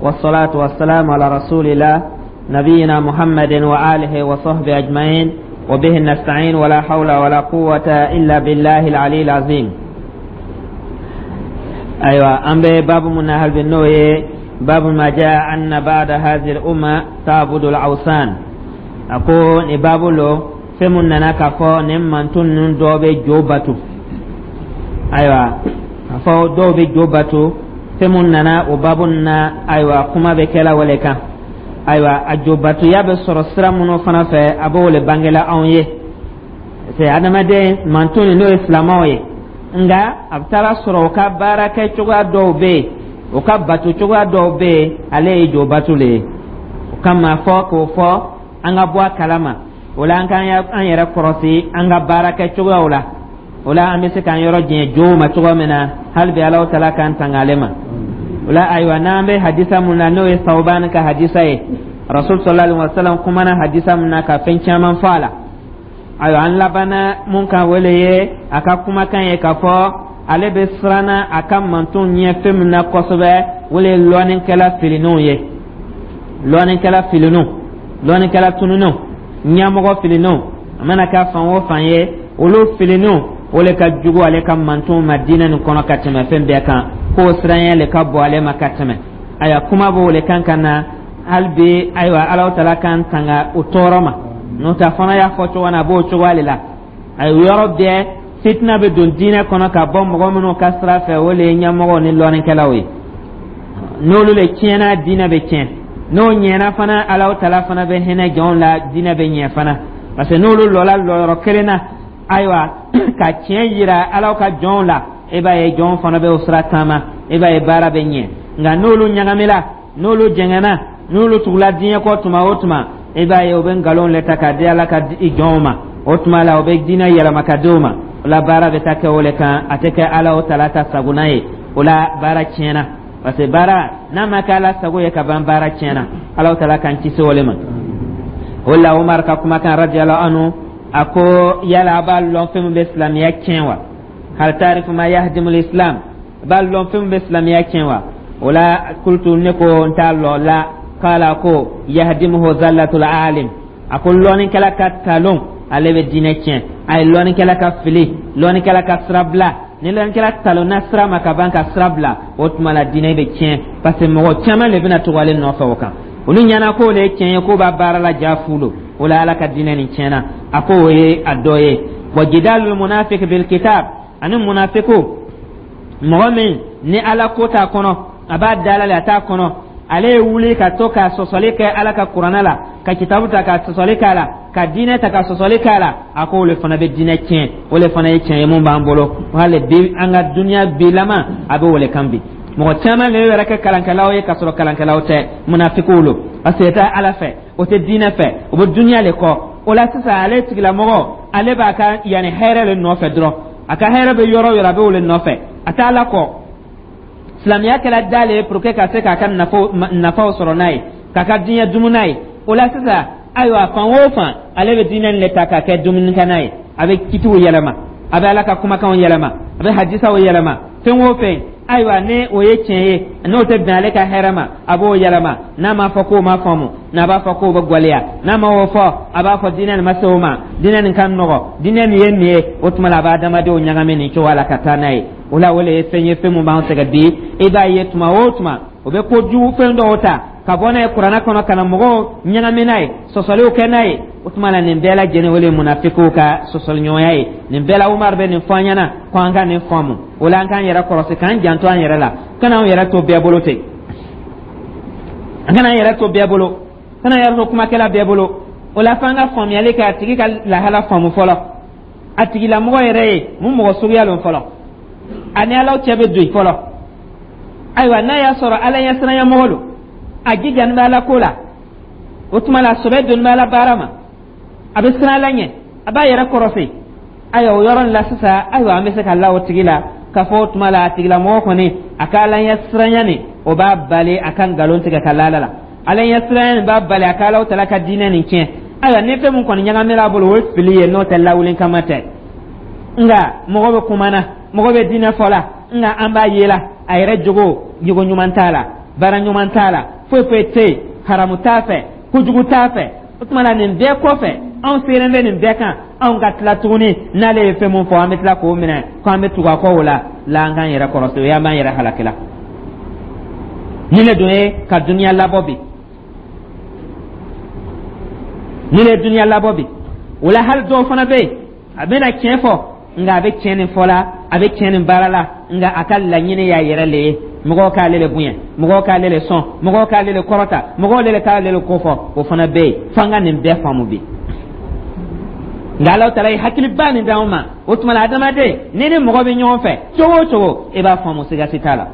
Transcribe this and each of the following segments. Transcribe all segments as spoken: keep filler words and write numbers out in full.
والصلاة والسلام على رسول الله نبينا محمد وآله وصحبه أجمعين وبه نستعين ولا حول ولا قوة إلا بالله العلي العظيم. أيوة، أم باب من أهل بالنوي، باب ما جاء أن بعد هذه الأمة تعبد الأوثان. أقول باب لو fɛn mun nana k'a fɔ nin mantɔn ninnu dɔw bɛ jo bato. Ayiwa, k'a fɔ dɔw bɛ jo bato, fɛn mun nana o babu na. Ayiwa, kuma bɛ kɛla o le kan. Ayiwa, a jo batoya bɛ sɔrɔ sira minnu fana fɛ, a b'o le bangela anw ye. C'est adamaden mantɔn n'o ye silamɛw ye, nka a bɛ taara sɔrɔ o ka baara kɛ cogoya dɔw bɛ yen, o ka bato cogoya dɔw bɛ yen, ale ye jo bato le ye. O kama fɔ k'o fɔ an ka bɔ a kalama. O la, an k'an an yɛrɛ kɔrɔsi an ka baara kɛ cogoyaw la. O la, an bɛ se k'an yɔrɔ jɛn jow ma cogo min na. Hali bi, Alahu Taala k'an tanga ale ma. O la, ayiwa, n'an bɛ hadisa mun na, n'o ye Sawuban ka hadisa ye, Rasul sallallahu alaihi wa sallam kumana hadisa mun na ka fɛn caman fɔ a la. Ayiwa, an labanna mun kan, o le ye a ka kumakan ye k'a fɔ ale bɛ siranna a ka mantonw ɲɛ fɛn min na kosɛbɛ, o le ye lɔnnikɛla filinenw ye, lɔnnikɛla filinenw, lɔnnikɛla tununnenw, ɲɛmɔgɔ filinenw. A mana kɛ fan o fan ye, olu filinenw, o le ka jugu ale ka mantonw ma diinɛ nin kɔnɔ ka tɛmɛ fɛn bɛɛ kan, k'o siranya le ka bon ale ma ka tɛmɛ. Ayiwa, kuma b'o le kan ka na hali bi. Ayiwa, Alahu Taala k'an tanga o tɔɔrɔ ma. N'o tɛ, a fana y'a fɔ cogo min na, a b'o cogoya de la. Ayiwa, yɔrɔ bɛɛ fitina bɛ don diinɛ kɔnɔ ka bɔ mɔgɔ minnu ka sira fɛ, o le ye ɲɛmɔgɔw ni lɔnnikɛlaw ye. N'olu le tiɲɛna, diinɛ bɛ tiɲɛ. N'o ɲɛna fana, Alahu Taala fana bɛ hinɛ jɔnw la, diinɛ bɛ ɲɛ fana, parce que n'olu lɔla lɔyɔrɔ kelen na, ayiwa, ka tiɲɛ yira Alaw ka jɔnw la, e b'a ye jɔnw fana bɛ o sira taama, e b'a ye baara bɛ ɲɛ. Nka n'olu ɲagamila, n'olu jɛngɛnna, n'olu tugula diɲɛ kɔ tuma o tuma, e b'a ye o bɛ nkalon le ta k'a di Ala ka jɔnw ma. O tuma la, o bɛ diinɛ yɛlɛma ka di o ma. O la, baara bɛ taa kɛ o le kan, a tɛ kɛ Ala o Taala ta sagona ye. O la, baara tiɲɛna, parce que baara n'a ma kɛ Ala sago ye ka ban, baara tiɲɛna. Ala Taala k'an kisi o le ma. O la, Umar ka kumakan radiyallahu anhu, a ko: "Yala a b'a lɔn fɛn min bɛ silamɛya tiɲɛ wa? Hal taarifu ma yahdimu islam? A b'a lɔn fɛn min bɛ silamɛya tiɲɛ wa?" O la, kultu, ne ko n t'a lɔn la. Kala ko: "Yahdimuhu zallatul alim." A ko lɔnnikɛla ka talon, ale bɛ diinɛ tiɲɛ. A ye lɔnnikɛla ka fili, lɔnnikɛla ka sira bila. Ni lɔnnikɛla talonna sira ma ka ban ka sira bila, o tuma la diinɛ bɛ tiɲɛ, parce que mɔgɔ caman de bɛna tugu ale nɔfɛ. O kan, olu ɲɛna k'o le ye tiɲɛ ye, k'o b'a baara la ja fu lo. O la, Ala ka diinɛ nin tiɲɛna. A ko o ye a dɔ ye. Wa jidalul munafik bil kitab, ani munafiku, mɔgɔ min ni Ala ko t'a kɔnɔ, a b'a dala la, a t'a kɔnɔ, ale ye wuli ka to ka sɔsɔli kɛ Ala ka kuranɛ la, ka kitabu ta ka sɔsɔli k'a la, ka diinɛ ta ka sɔsɔli k'a la, a ko o le fana bɛ diinɛ tiɲɛ. O le fana ye tiɲɛ ye mun b'an bolo hali bi, an ka duniya bilama a bɛ o le kan bi. Mɔgɔ caman de yɛrɛ kɛ kalankɛlaw ye k'a sɔrɔ kalankɛlaw tɛ, munafikiw lo, parce que o tɛ Ala fɛ, o tɛ diinɛ fɛ, o bɛ duniya le kɔ. O la sisan, ale tigilamɔgɔ, ale b'a ka yanni hɛrɛ le nɔfɛ dɔrɔn. A ka hɛrɛ bɛ yɔrɔ o yɔrɔ, a bɛ o le nɔfɛ, a tɛ Ala kɔ. Silamɛya kɛra da le ye pour que ka se k'a ka nafaw sɔrɔ n'a ye, k'a ka diɲɛ dumu n'a ye. O la sisan, ayiwa, fan o fan, ale bɛ diinɛ le ta k'a kɛ dumunikɛnɛ ye. A bɛ kitiw yɛlɛma, a bɛ Ala ka kumakanw yɛlɛma, a bɛ hadisaw yɛlɛma. Fɛn o fɛn, ayiwa, ni o ye tiɲɛ ye, n'o tɛ bɛn ale ka hɛrɛ ma, a b'o yɛlɛma. N'a m'a fɔ k'o ma faamu, n'a b'a fɔ k'o bɛ gwɛlɛya, n'a ma o fɔ, a b'a fɔ diinɛ nin ma se o ma, diinɛ nin ka nɔgɔ, diinɛ nin ye nin ye. O tuma la, a b'a adamadenw ɲagami nin cogoya la ka taa n'a ye. O la, o le ye fɛn ye, fɛn mun b'an sɛgɛn bi. I b'a ye tuma o tuma, o bɛ kojugu fɛn dɔw ta ka bɔ n'a ye kuranɛ kɔnɔ ka na mɔgɔw ɲagami n'a ye, sɔsɔliw kɛ n'a ye. O tuma la, nin bɛɛ lajɛlen, o le ye munafikiw ka sɔsɔliɲɔgɔnya ye. Nin bɛɛ la, Umar bɛ nin fɔ an ɲɛna ko an ka nin faamu. O la, an k'an yɛrɛ kɔlɔsi, k'an janto an yɛrɛ la, kana an yɛrɛ to bɛɛ bolo ten. An kana an yɛrɛ to bɛɛ bolo, kana an yɛrɛ to kumakɛla bɛɛ bolo. O la, f'an ka faamuyali kɛ, a tigi ka lahala faamu fɔlɔ, a tigilamɔgɔ yɛrɛ ye mun mɔgɔ suguya lon fɔlɔ, ani Alaw cɛ bɛ don fɔlɔ. Ayiwa, n'a y'a sɔrɔ Ala ɲɛsiranya mɔgɔ don, a jijani bɛ Ala ko la, o tuma la sɔbɛ doni bɛ Ala baara ma, a bɛ siran Ala ɲɛ, a b'a yɛrɛ kɔrɔsi. Ayiwa, o yɔrɔ nin la sisan, ayiwa, an bɛ se ka la o tigi la k'a fɔ o tuma la a tigilamɔgɔ kɔni, a ka Ala ɲɛsiranya nin, o b'a bali a ka nkalon tigɛ ka la Ala la. Ala ɲɛsiranya nin b'a bali a ka Alaw Tala ka diinɛ nin tiɲɛ. Ayiwa, ni fɛn mun kɔni ɲagamina a bolo, o ye fili ye, n'o tɛ lawuli kama tɛ. Nka mɔgɔ bɛ kuma na, mɔgɔ bɛ diinɛ fɔ la, nka an b'a ye la a yɛrɛ jogo, jogo ɲuman t'a la. Baara ɲuman t'a la, foyi foyi tɛ yen, haramu t'a fɛ, kojugu t'a fɛ. O tuma na, nin bɛɛ kɔfɛ, anw seren bɛ nin bɛɛ kan, anw ka tila tuguni, n'ale ye fɛn mun fɔ, an bɛ tila k'o minɛ ko an bɛ tugu a kɔ. O la la, an k'an yɛrɛ kɔrɔsi, o y'an b'an yɛrɛ halaki la. Ni ne dun ye ka duniya labɔ bi, ni ne ye duniya labɔ bi, o la hali dɔw fana bɛ yen, a bɛna tiɲɛ fɔ, nka a bɛ tiɲɛ nin fɔ la, a bɛ tiɲɛ nin baara la, nka a ka laɲini y'a yɛrɛ le ye. Mɔgɔw k'ale le bonya, mɔgɔw k'ale le sɔn, mɔgɔw k'ale le kɔrɔta, mɔgɔw le k'ale le kofɔ, o fana bɛ yen. F'an ka nin bɛɛ faamu bi. Nka Ala taala ye hakiliba nin d'anw ma. O tuma na, adamaden, ni ni mɔgɔ bɛ ɲɔgɔn fɛ cogo o cogo, i b'a faamu, siga si t'a la,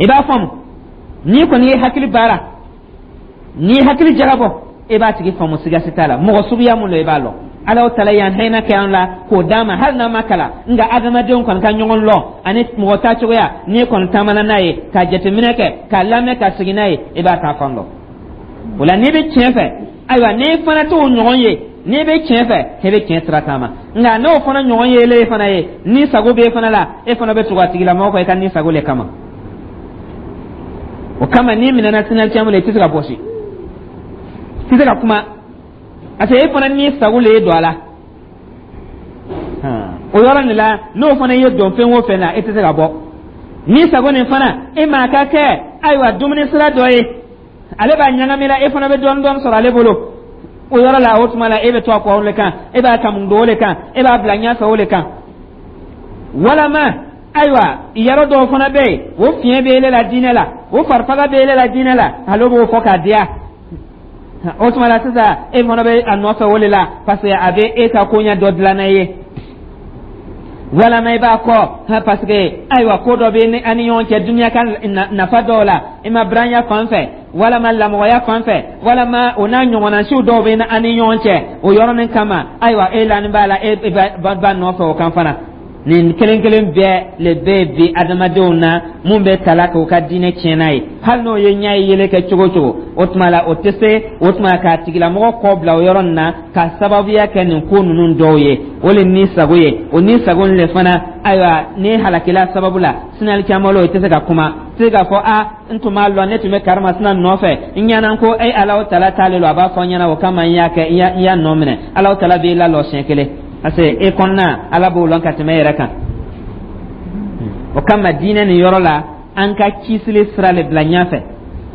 i b'a faamu. N'i kɔni ye hakili baara, n'i ye hakili jagabɔ, i b'a tigi faamu, siga si t'a la. Mɔgɔ suguya mun don, i b'a lɔn. Ala tala y'an hinɛ kɛ an la k'o d'an ma, hali n'an ma kalan, nka adamadenw kɔni ka ɲɔgɔn lɔn ani mɔgɔ ta cogoya, n'i kɔni taamana n'a ye ka jateminɛ kɛ, k'a lamɛn, ka segin n'a ye, i b'a ta fan dɔn. O la, n'i bɛ tiɲɛ fɛ, ayiwa, n'i fana t'o ɲɔgɔn ye, n'i bɛ tiɲɛ fɛ, i bɛ tiɲɛ sira taama. Nka n'o fana ɲɔgɔn ye, e fana ye ni sago b'e fana la, e fana bɛ tugu a tigilamɔgɔ kɔ i ka ni sago le kama. O kama, n'i minɛna sinali caman la, i tɛ se ka bɔsi, i tɛ se ka kuma, parce que e fana ni sago le ye don a la. O yɔrɔ nin la, n'o fana ye don fɛn o fɛn na, e tɛ se ka bɔ ni sago nin fana. E maa ka kɛ, ayiwa, dumuni sira dɔ ye, ale b'a ɲagami la, e fana bɛ dɔɔni dɔɔni sɔrɔ ale bolo o yɔrɔ la. O tuma la, e bɛ to a kɔ o le kan, e b'a kamun don o le kan, e b'a bila ɲɛfɛ o le kan. Walama, ayiwa, yɔrɔ dɔw fana bɛ yen, o fiɲɛ bɛ ele la diinɛ la, o farifaga bɛ ele la diinɛ la, ale b'o fɔ k'a diya. O tuma la sisan, e fana bɛ a nɔfɛ o de la, parce que a bɛ e ka koɲɛ dɔ dilan ye. Walama i b'a kɔ parce que, ayiwa, ko dɔ bɛ an ni ɲɔgɔn cɛ duniya ka nafa dɔw la, i ma biranya fan fɛ, walama lamɔgɔya fan fɛ, walama o n'a ɲɔgɔnnasiw dɔw bɛ an ni ɲɔgɔn cɛ, o yɔrɔnin kama, ayiwa, e lani b'a la, e b'a nɔfɛ o kan fana. Nin kelen kelen bɛɛ le bɛ bi adamadenw na mun bɛ tala k'u ka diinɛ tiɲɛ n'a ye. Hali n'o ye ɲɛ ye yɛlɛ kɛ cogo cogo, o tuma la, o tɛ se o tuma k'a tigilamɔgɔ kɔ bila o yɔrɔ nin na ka sababuya kɛ nin ko ninnu dɔw ye. O le ni sago ye, o ni sago nin le fana, ayiwa, ni halakila sababu la sinali caman o tɛ se ka kuma, tɛ se k'a fɔ: a n tun b'a lɔn, ne tun bɛ karimasina nɔfɛ, n ɲɛna ko e Alahu tala t'ale lɔ, a b'a fɔ n ɲɛna, o kama n y'a kɛ, n y'a nɔ minɛ. Alahu tala b'i lalɔ siɲɛ kelen, parce que e kɔnɔna, Ala b'o lɔn ka tɛmɛ e yɛrɛ kan. O kama, diinɛ nin yɔrɔ la, an ka kisili sira le bila ɲɛfɛ,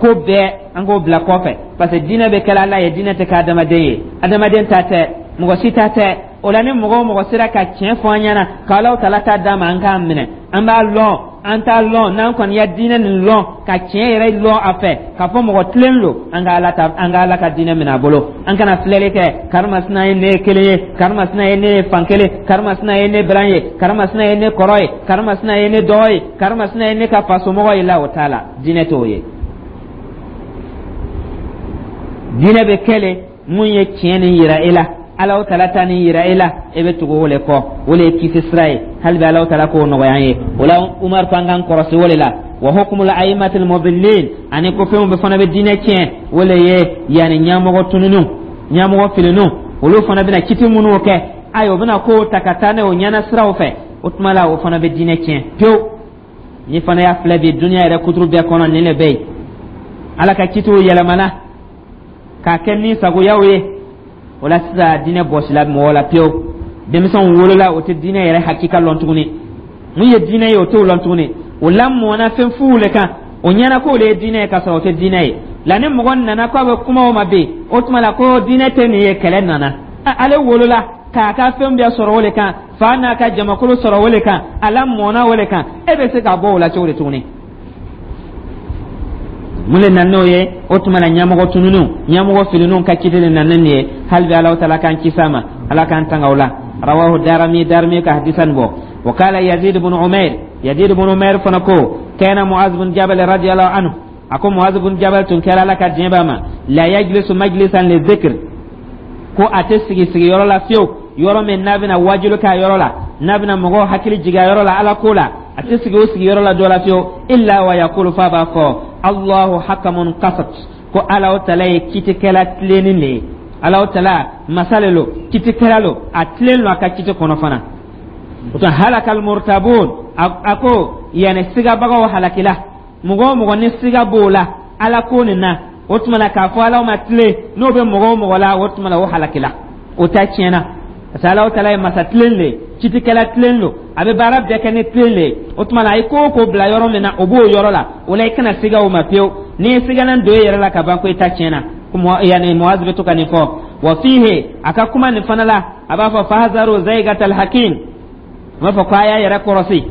ko bɛɛ an k'o bila kɔfɛ, parce que diinɛ bɛ kɛla Ala ye, diinɛ tɛ kɛ adamaden ye, adamaden ta tɛ, mɔgɔ si ta tɛ. O la, ni mɔgɔ o mɔgɔ sera ka tiɲɛ fɔ an ɲɛna, k'Alaw tala ta d'a ma, an k'a minɛ. An b'a lɔn, an t'a lɔn, n'an kɔni ya diinɛ nin lɔn, ka tiɲɛ yɛrɛ lɔn a fɛ, k'a fɔ mɔgɔ tilen lo, an ka Ala ta, an ka Ala ka diinɛ minɛ a bolo. An kana filɛli kɛ karimasina ye ne ye kelen ye, karimasina ye ne ye fan kelen, karimasina ye ne biran ye, karimasina ye ne kɔrɔ ye, karimasina ye ne dɔgɔ ye, karimasina ye ne ka fasomɔgɔ ye la. O t'a la, diinɛ t'o ye. Diinɛ bɛ kɛlen mun ye? Tiɲɛ nin yira e la, Alaw tala ta nin yira e la, e bɛ tugu o le kɔ, o le ye kisi sira ye. Hali bi Alaw tala k'o nɔgɔya an ye. O la, Umar ko an k'an kɔrɔsi o de la. Wa hukumul aimatil mudillin, ani ko fɛnw bɛ fana bɛ diinɛ tiɲɛ, o le ye yanni ɲɛmɔgɔ tununiw, ɲɛmɔgɔ filiniw, olu fana bɛna kiti minnu kɛ, ayi, o bɛna kow ta ka taa n'a ye o ɲɛna siraw fɛ. O tuma la, o fana bɛ diinɛ tiɲɛ pewu. Ni fana y'a filɛ bi, duniya yɛrɛ kuturu bɛɛ kɔnɔ, nin de bɛ yen. Ala ka kitiw yɛlɛmana k'a kɛ ni sagoyaw ye. O la sisan, diinɛ bɔsila mɔgɔ la pewu. Denmisɛnw wolola, o tɛ diinɛ yɛrɛ hakika lɔn tuguni. Mun ye diinɛ ye, o t'o lɔn tuguni. O lamɔna fɛn fuw le kan, o ɲɛna k'o le ye diinɛ ye, k'a sɔrɔ o tɛ diinɛ ye la. Ni mɔgɔ nana k'a bɛ kuma o ma bi, o tuma la ko diinɛ tɛ nin ye, kɛlɛ nana. Ale wolola k'a ka fɛn bɛɛ sɔrɔ o le kan, fa n'a ka jamakulu sɔrɔ o le kan, a lamɔna o le kan, e bɛ se ka bɔ o la cogo di tuguni? Mun le nana n'o ye? O tuma na, ɲɛmɔgɔ tununiw, ɲɛmɔgɔ filiniw ka kiti de nana nin ye. Hali bi Alahu taala k'an kisi a ma, Ala k'an tanga o la. Rawahu Darami, Darami ka hadisa nin bɔ. Wa kala Yazid ibn Umair, Yazid ibn Umair fana ko kana Muaz bin Jabal radiyallahu anhu, a ko Muaz bin Jabal tun kɛra, Ala ka diɲɛ b'a ma, la yajlisu majlisan li dhikr, ko a tɛ sigi sigiyɔrɔ la fiyewu, yɔrɔ min n'a bɛna wajulu k'a yɔrɔ la, n'a bɛna mɔgɔw hakili jigin a yɔrɔ la Ala ko la, a tɛ sigi o sigiyɔrɔ la dɔ la fiyewu, illa wa yaqulu, f'a b'a fɔ: Allahu hakamun qasat, ko Ala tala ye kitikɛla tilennin de ye. Ala tala masa le lo, kitikɛla lo, a tilen lo a ka kiti kɔnɔ fana. O tuma, halakal murtabun, a ko yani sigabagaw halakila. Mɔgɔ o mɔgɔ ni siga b'o la Ala ko nin na, o tuma la k'a fɔ Ala ma tilen, n'o bɛ mɔgɔ o mɔgɔ la, o tuma la o halakila, o ta tiɲɛna, parce que Ala tala ye masa tilen le ye, citikɛla tilen don, a bɛ baara bɛɛ kɛ ni tilen le ye. O tuma la a ye ko o ko bila yɔrɔ min na, o b'o yɔrɔ la. O la i kana siga o ma pewu. N'i ye siganan don e yɛrɛ la ka ban, ko i ta tiɲɛna. Yani Muaz bɛ to ka nin fɔ. Wa fihi, a ka kuma nin fana la, a b'a fɔ: fahzaru zaigatal hakim. A b'a fɔ ko a y'a yɛrɛ kɔrɔsi,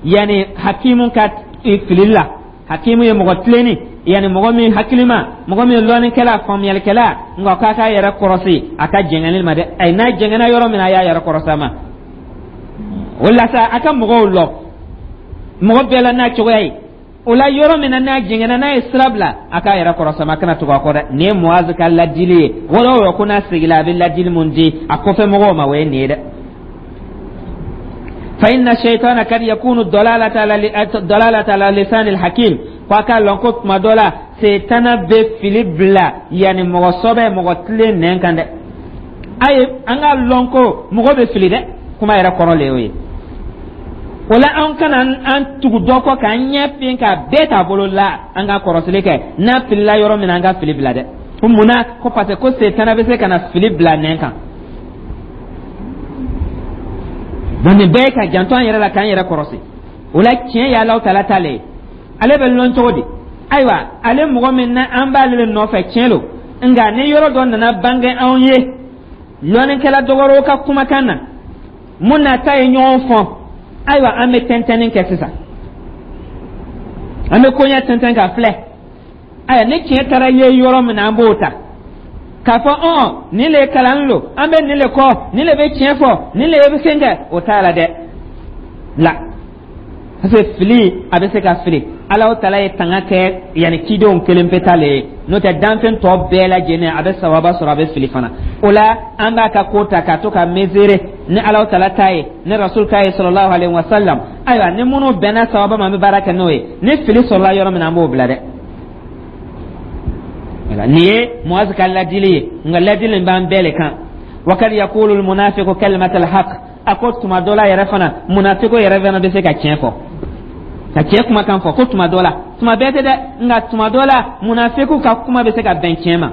yani hakimu ka fili la. Hakimu ye mɔgɔ tilenni, yani mɔgɔ min hakilima, mɔgɔ min lɔnnikɛla, faamuyalikɛla, nka k'a k'a yɛrɛ kɔrɔsi a ka jɛngɛni ma dɛ. Ayi, n'a jɛngɛnna yɔrɔ min na, a y'a yɛrɛ kɔrɔsi a ma. O la sa, a ka mɔgɔw lɔ mɔgɔ bɛɛ la n'a cogoya ye. O la, yɔrɔ min na n'a jɛngɛnna, n'a ye sira bila, a k'a yɛrɛ kɔrɔsi a ma, a kana tugu a kɔ dɛ. Nin ye Muazu ka ladili ye. Wɔlɔ o yɔrɔ ko n'a seginna, a bɛ ladili mun di a kɔfɛ mɔgɔw ma, o ye nin ye dɛ. فإن الشيطان قد يكون الضلالة على ضلالة على لسان الحكيم. Ko a k'a lɔn ko tuma dɔ la, setana bɛ fili bila yanni mɔgɔ sɔbɛ, mɔgɔ tilen nɛn kan dɛ. A ye an k'a lɔn ko mɔgɔ bɛ fili dɛ. Kuma yɛrɛ kɔrɔ le y'o ye. O la, an kana an tugu dɔ kɔ k'an ɲɛ fin k'a bɛɛ t'a bolo la. An ka kɔrɔsili kɛ, n'a filila yɔrɔ min na, an ka fili bila dɛ. Ko munna? Ko parce que ko setana bɛ se ka na fili bila nɛn kan. Donc nin bɛɛ ye ka janto an yɛrɛ la, k'an yɛrɛ kɔrɔsi. O la, tiɲɛ ye Alahu Taala ta le ye. Ale bɛ lɔn cogo di? Ayiwa, ale mɔgɔ min na an b'ale le nɔfɛ, tiɲɛ lo, nka ni yɔrɔ dɔ nana bange anw ye lɔnnikɛla dɔ wɛrɛw ka kumakan na, mun n'a ta ye ɲɔgɔn fɔ, ayiwa, an bɛ tɛntɛnni kɛ sisan, an bɛ koɲɛ tɛntɛn ka filɛ. Ayiwa, ni tiɲɛ taara ye yɔrɔ min na, an b'o ta k'a fɔ ɔn nin le kalan lo, an bɛ nin le kɔ, nin le bɛ tiɲɛ fɔ, nin le bɛ sen kɛ, o t'a la dɛ la, parce que fili, a bɛ se ka fili. Alahu Taala ye tanga kɛ yanni cidenw kelen pe ta le ye, n'o tɛ danfɛn tɔ bɛɛ lajɛlen a bɛ sababa sɔrɔ, a bɛ fili fana. O la, an b'a ka ko ta k'a to ka mesurer ni Alahu Taala ta ye, ni Rasul ta ye, sallallahu alaihi wa sallam. Ayiwa, ni minnu bɛnna sababa ma, an bɛ baara kɛ n'o ye. Ni fili sɔrɔla yɔrɔ min na, an b'o bila dɛ. Nin ye Muaz ka ladili ye, nka ladili b'an bɛɛ le kan. Wa kad yaqulu almunafiqu kalimat alhaq. A ko tuma dɔ la yɛrɛ fana, munafiqo yɛrɛ fana bɛ se ka tiɲɛ fɔ, ka tiɲɛ kumakan fɔ. Ko tuma dɔ la, tuma bɛɛ tɛ dɛ, nka tuma dɔ la, munafiqu ka kuma bɛ se ka bɛn tiɲɛ ma.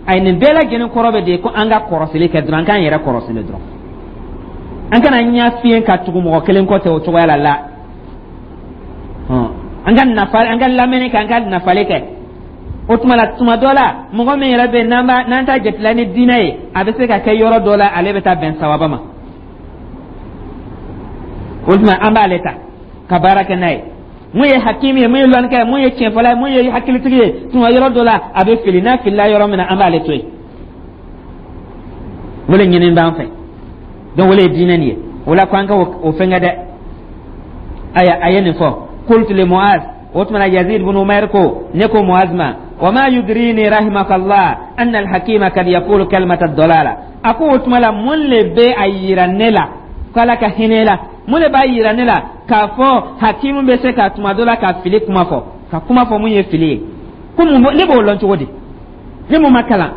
Ayi, nin bɛɛ lajɛlen kɔrɔ bɛ de ko an ka kɔrɔsili kɛ dɔrɔn, an k'an yɛrɛ kɔrɔsili dɔrɔn, an kana ɲɛ fiyen ka tugu mɔgɔ kelen kɔ tɛ o cogoya la la. An ka nafa, an ka lamɛnni kɛ, an ka nafali kɛ. O tuma la, tuma dɔ la, mɔgɔ min yɛrɛ bɛ yen n'an b'a n'an t'a jatela ni diinɛ ye, a bɛ se ka kɛ yɔrɔ dɔ la, ale bɛ taa bɛn sababa ma. O tuma an b'ale ta ka baara kɛ n'a ye. Mun ye hakimi ye, mun ye lɔnnikɛ ye, mun ye tiɲɛfɔla ye, mun ye hakilitigi ye, tuma yɔrɔ dɔ la a bɛ fili. N'a filila yɔrɔ min na, an b'ale to yen. O de ɲini b'an fɛ. Donc o de ye diinɛ nin ye. O la, ko an ka o fɛnkɛ dɛ. Aya, a ye nin fɔ: qultu li Muaz. O tuma na, Yazid bin Umair ko ne ko Muaz ma: wa ma yudrini rahimakallah anna alhakima kad yaqulu kalimata dalala? A ko o tuma la, mun le bɛ a yira ne la, ko Ala ka hinɛ la, mun de b'a yira ne la k'a fɔ hakimu bɛ se ka tuma dɔ la ka fili kuma fɔ, ka kuma fɔ mun ye fili ye? Ko mun ne b'o lɔn cogo di? Ne mun ma kalan,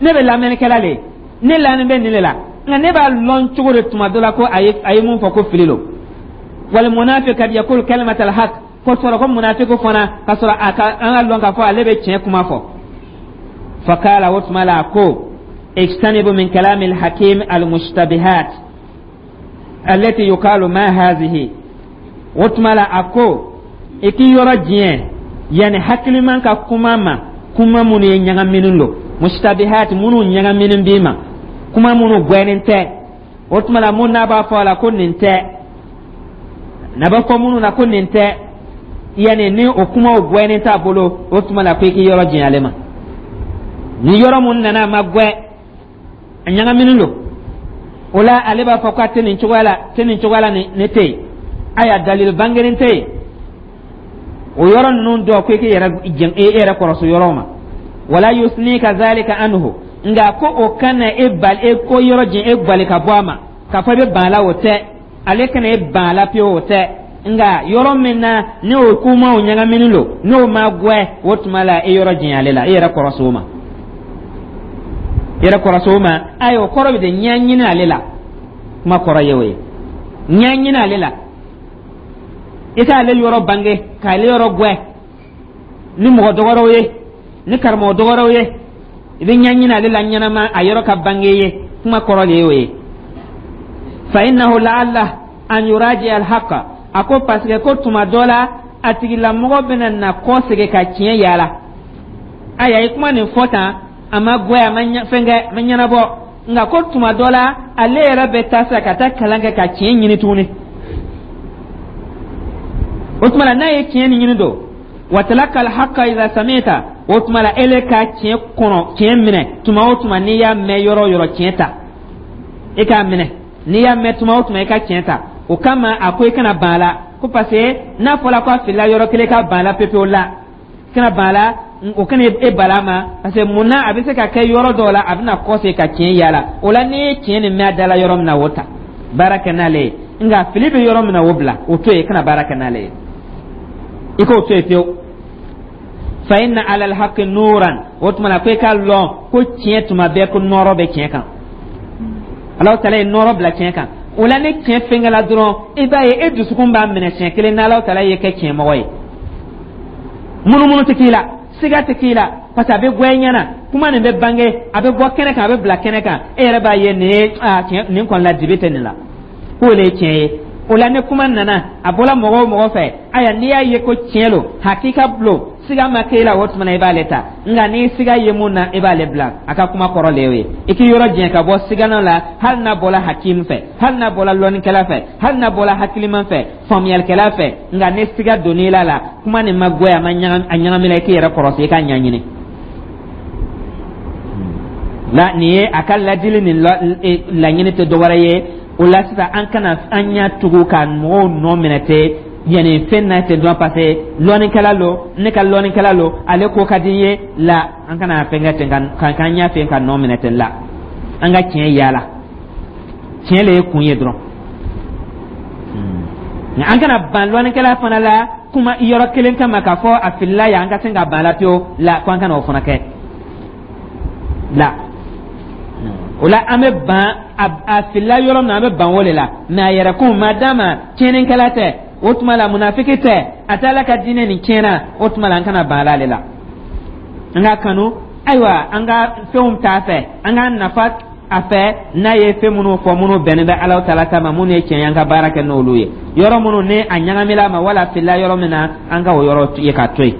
ne bɛ lamɛnnikɛla le ye, ne lanin bɛ nin de la, nka ne b'a lɔn cogo di tuma dɔ la ko a ye a ye mun fɔ ko fili lo? Wal munafiq kad yaqulu kalimatal haqq. Ko sɔrɔ ko munafiku fana, ka sɔrɔ a ka an ka lɔn k'a fɔ ale bɛ tiɲɛ kuma fɔ. Fakala, o tuma la, a ko: ijtanibu min kalami alhakim almushtabihat allati yuqalu ma hazihi. O tuma la, a ko i k'i yɔrɔ diɲɛ yanni hakiliman ka kuma ma, kuma minnu ye ɲagaminen don, mushtabihat, minnu ɲagaminen b'i ma, kuma minnu gwɛnnen tɛ. O tuma la, mun n'a b'a fɔ a la ko nin tɛ, n'a b'a fɔ minnu na ko nin tɛ, yanni ni o kumaw gwɛnnen t'a bolo, o tuma la ko i k'i yɔrɔ janya ale ma. Ni yɔrɔ mun nana a ma gwɛ, a ɲagaminen don, o la ale b'a fɔ k'a tɛ nin cogoya la, tɛ nin cogoya la, nin ne tɛ yen. Ayiwa, dalil bangenen tɛ yen o yɔrɔ ninnu dɔ, ko i k'i yɛrɛ e yɛrɛ kɔrɔsi yɔrɔ ma. Wala yusnika zalika anhu, nka ko o kana e bali, e ko yɔrɔ jɛn, e bali ka bɔ a ma k'a fɔ i bɛ ban a la, o tɛ. Ale kana e ban a la pewu, o tɛ, nka yɔrɔ min na ni o kumaw ɲagaminen don, n'o ma gwɛ, o tuma la e yɔrɔ jɛn ale la, e yɛrɛ kɔrɔsi o ma, i yɛrɛ kɔrɔsi o ma. Ayiwa, o kɔrɔ bɛ de ɲɛɲini ale la. Kuma kɔrɔ ye o ye, ɲɛɲini ale la, i k'ale yɔrɔ bange, k'ale yɔrɔ gwɛ. Ni mɔgɔ dɔgɔrɛw ye, ni karamɔgɔ dɔgɔrɛw ye, i bɛ ɲɛɲini ale la ɲɛnama, a yɔrɔ ka bange ye. Kuma kɔrɔ de ye o ye. Fa innahu la'alla an yuraji alhaqa. A ko parce que ko tuma dɔ la, a tigilamɔgɔ bɛna na kɔsegin ka tiɲɛ yaala. Ayiwa, i kuma nin fɔ tan, a ma gwɛ, a ma fɛn kɛ, a ma ɲɛnabɔ. Nka ko tuma dɔ la, ale yɛrɛ bɛ taa sa ka taa kalan kɛ ka tiɲɛ ɲini tuguni. O tuma la, n'a ye tiɲɛ nin ɲini don, wa talaka alhaqa idha samita, o tuma la, ele ka tiɲɛ kɔnɔ, tiɲɛ minɛ tuma o tuma. N'i y'a mɛn yɔrɔ o yɔrɔ, tiɲɛ ta, i k'a minɛ. N'i y'a mɛn tuma o tuma, i ka tiɲɛ ta. O kama, a ko i kana ban a la, ko parce que n'a fɔra ko a filila yɔrɔ kelen, ka ban a la pepewu la, kana ban a la. O kana e bala ma, parce que mun na? A bɛ se ka kɛ yɔrɔ dɔw la, a bɛna kɔsegin ka tiɲɛ yaala. O la, n'i ye tiɲɛ nin mɛn a da la yɔrɔ min na, o ta, baara kɛ n'ale ye. Nka fili bɛ yɔrɔ min na, o bila, o to yen, kana baara kɛ n'ale ye, i k'o to yen pewu. Fa inna ala alhaqi nuran. O tuma na, ko i ka lɔn ko tiɲɛ, tuma bɛɛ ko nɔrɔ bɛ tiɲɛ kan. Alahu Taala ye nɔrɔ bila tiɲɛ kan. O la, ni tiɲɛ fɛnkɛla dɔrɔn, i b'a ye e dusukun b'a minɛ siɲɛ kelen n'Alahu Taala ye kɛ tiɲɛmɔgɔ ye. Munumunu tɛ k'i la, siga tɛ k'i la, parce que a bɛ bɔ i ɲɛna. Kuma nin bɛ bange, a bɛ bɔ kɛnɛ kan, a bɛ bila kɛnɛ kan, e yɛrɛ b'a ye nin ye aa tiɲɛ nin kɔni la, dibi tɛ nin la, k'o le ye tiɲɛ ye. O la, ni kuma nana, a bɔra mɔgɔ o mɔgɔ fɛ, ayiwa, n'i y'a ye ko tiɲɛ lo, hakika lo, siga ma k'e la, o tuma na i b'ale ta. Nka n'i siga ye mun na, i b'ale bila. A ka kuma kɔrɔ le y'o ye. I k'i yɔrɔ jɛn ka bɔ sigana la, hali n'a bɔra hakimu fɛ, hali n'a bɔra lɔnnikɛla fɛ, hali n'a bɔra hakiliman fɛ, faamuyalikɛla fɛ. Nka ni siga donn'i la la kuma nin ma goya, a ma ɲagami, a ɲagamina, i k'i yɛrɛ kɔrɔsi, i k'a ɲɛɲini la. Nin ye a ka ladili nin laɲini tɛ dɔwɛrɛ ye. O la sisan, an kana an ɲɛ tugu ka mɔgɔw nɔ minɛ ten, yanni fɛn na ten dɔrɔn, parce que lɔnnikɛla lo, ne ka lɔnnikɛla lo, ale ko ka di n ye la. An kana fɛn kɛ ten ka k'an ɲɛ fɛ ka nɔ minɛ ten la. An ka tiɲɛ yaala, tiɲɛ le ye kun ye dɔrɔn. Nka an kana ban lɔnnikɛla fana la kuma yɔrɔ kelen kama, k'a fɔ a filila yan, an ka se ka ban la pewu la, ko an kana o fana kɛ la. O la, an bɛ ban a filila yɔrɔ min na, an bɛ ban o de la. Mɛ a yɛrɛ kun ma d'a ma, tiɲɛnikɛla tɛ, o tuma la munafiki tɛ, a tɛ Ala ka diinɛ nin tiɲɛna, o tuma la an kana ban ale la. An ka kanu, ayiwa, an ka fɛnw t'a fɛ, an ka nafa a fɛ. N'a ye fɛn minnu fɔ, minnu bɛnnen bɛ Ala Taala ta ma, minnu ye tiɲɛ ye, an ka baara kɛ n'olu ye. Yɔrɔ minnu ni a ɲagamina ma wala filila yɔrɔ min na, an ka o yɔrɔ ye k'a to yen.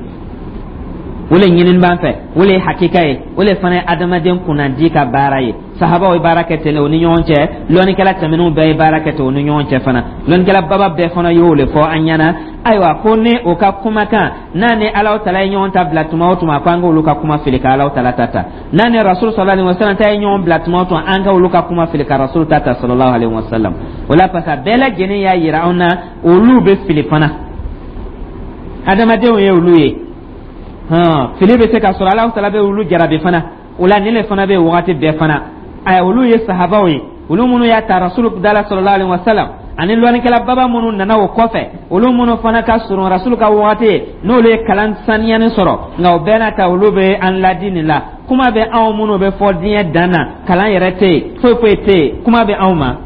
O le ɲinini b'an fɛ, o le ye hakika ye, o le fana ye adamaden kunnandi ka baara ye. Sahabaw ye baara kɛ ten o ni ɲɔgɔn cɛ, lɔnnikɛla tɛmɛnenw bɛɛ ye baara kɛ ten o ni ɲɔgɔn cɛ fana, lɔnnikɛla baba bɛɛ fana y'o le fɔ an ɲɛna. Ayiwa, ko ni o ka kumakan n'a ni Alahu Taala ye ɲɔgɔn ta bila tuma o tuma, ko an k'olu ka kuma fili ka Alahu Taala ta ta. N'a ni Rasul sallallahu alaihi wasallam ta ye ɲɔgɔn bila tuma o tuma, an ka olu ka kuma fili ka Rasul ta ta sallallahu alaihi wasallam. O la, parce que bɛɛ lajɛlen y'a yira anw na, olu bɛ fili fana, adamadenw ye olu ye, hɔn fili bɛ se ka sɔrɔ. Alahu Taala bɛ olu jarabi fana. O la, nin de fana bɛ wagati bɛɛ fana. Aya, olu ye sahabaw ye, olu minnu y'a ta Rasulu dala sallallahu alaihi wasallam, ani lɔnnikɛla baba minnu nana o kɔfɛ, olu minnu fana ka surun Rasulu ka wagati ye, n'olu ye kalan saniyani sɔrɔ. Nka o bɛɛ n'a ta, olu bɛ an ladi nin la. Kuma bɛ anw minnu bɛ fɔ diɲɛ dan na, kalan yɛrɛ tɛ yen, foyi foyi tɛ yen, kuma bɛ anw ma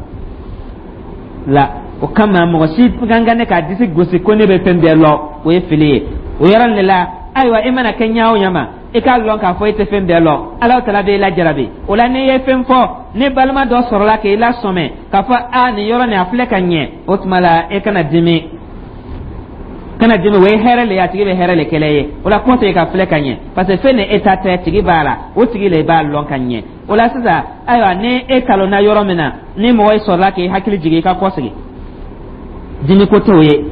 la. O kama, mɔgɔ si kan ka ne k'a disi gosi ko ne bɛ fɛn bɛɛ lɔ, o ye fili ye. O yɔrɔ de la, ayiwa, i mana kɛ ɲɛ o ɲɛ ma, i k'a lɔn k'a fɔ i tɛ fɛn bɛɛ lɔn. Ala Taala b'e lajarabi. O la, n'i ye fɛn fɔ, ni balima dɔ sɔrɔla k'i lasɔmɛ k'a fɔ a nin yɔrɔ nin a filɛ ka ɲɛ, o tuma la e kana dimi, kana dimi. O ye hɛrɛ le ye, a tigi bɛ hɛrɛ le kɛlɛ ye. O la, kɔsegin ka filɛ ka ɲɛ, parce que fɛn ni e ta tɛ, tigi b'a la, o tigi le b'a lɔn ka ɲɛ. O la sisan, ayiwa, ni e kalonna yɔrɔ min na, ni mɔgɔ ye sɔrɔla k'i hakili jigin, i ka kɔsegin, dimi ko t'o ye.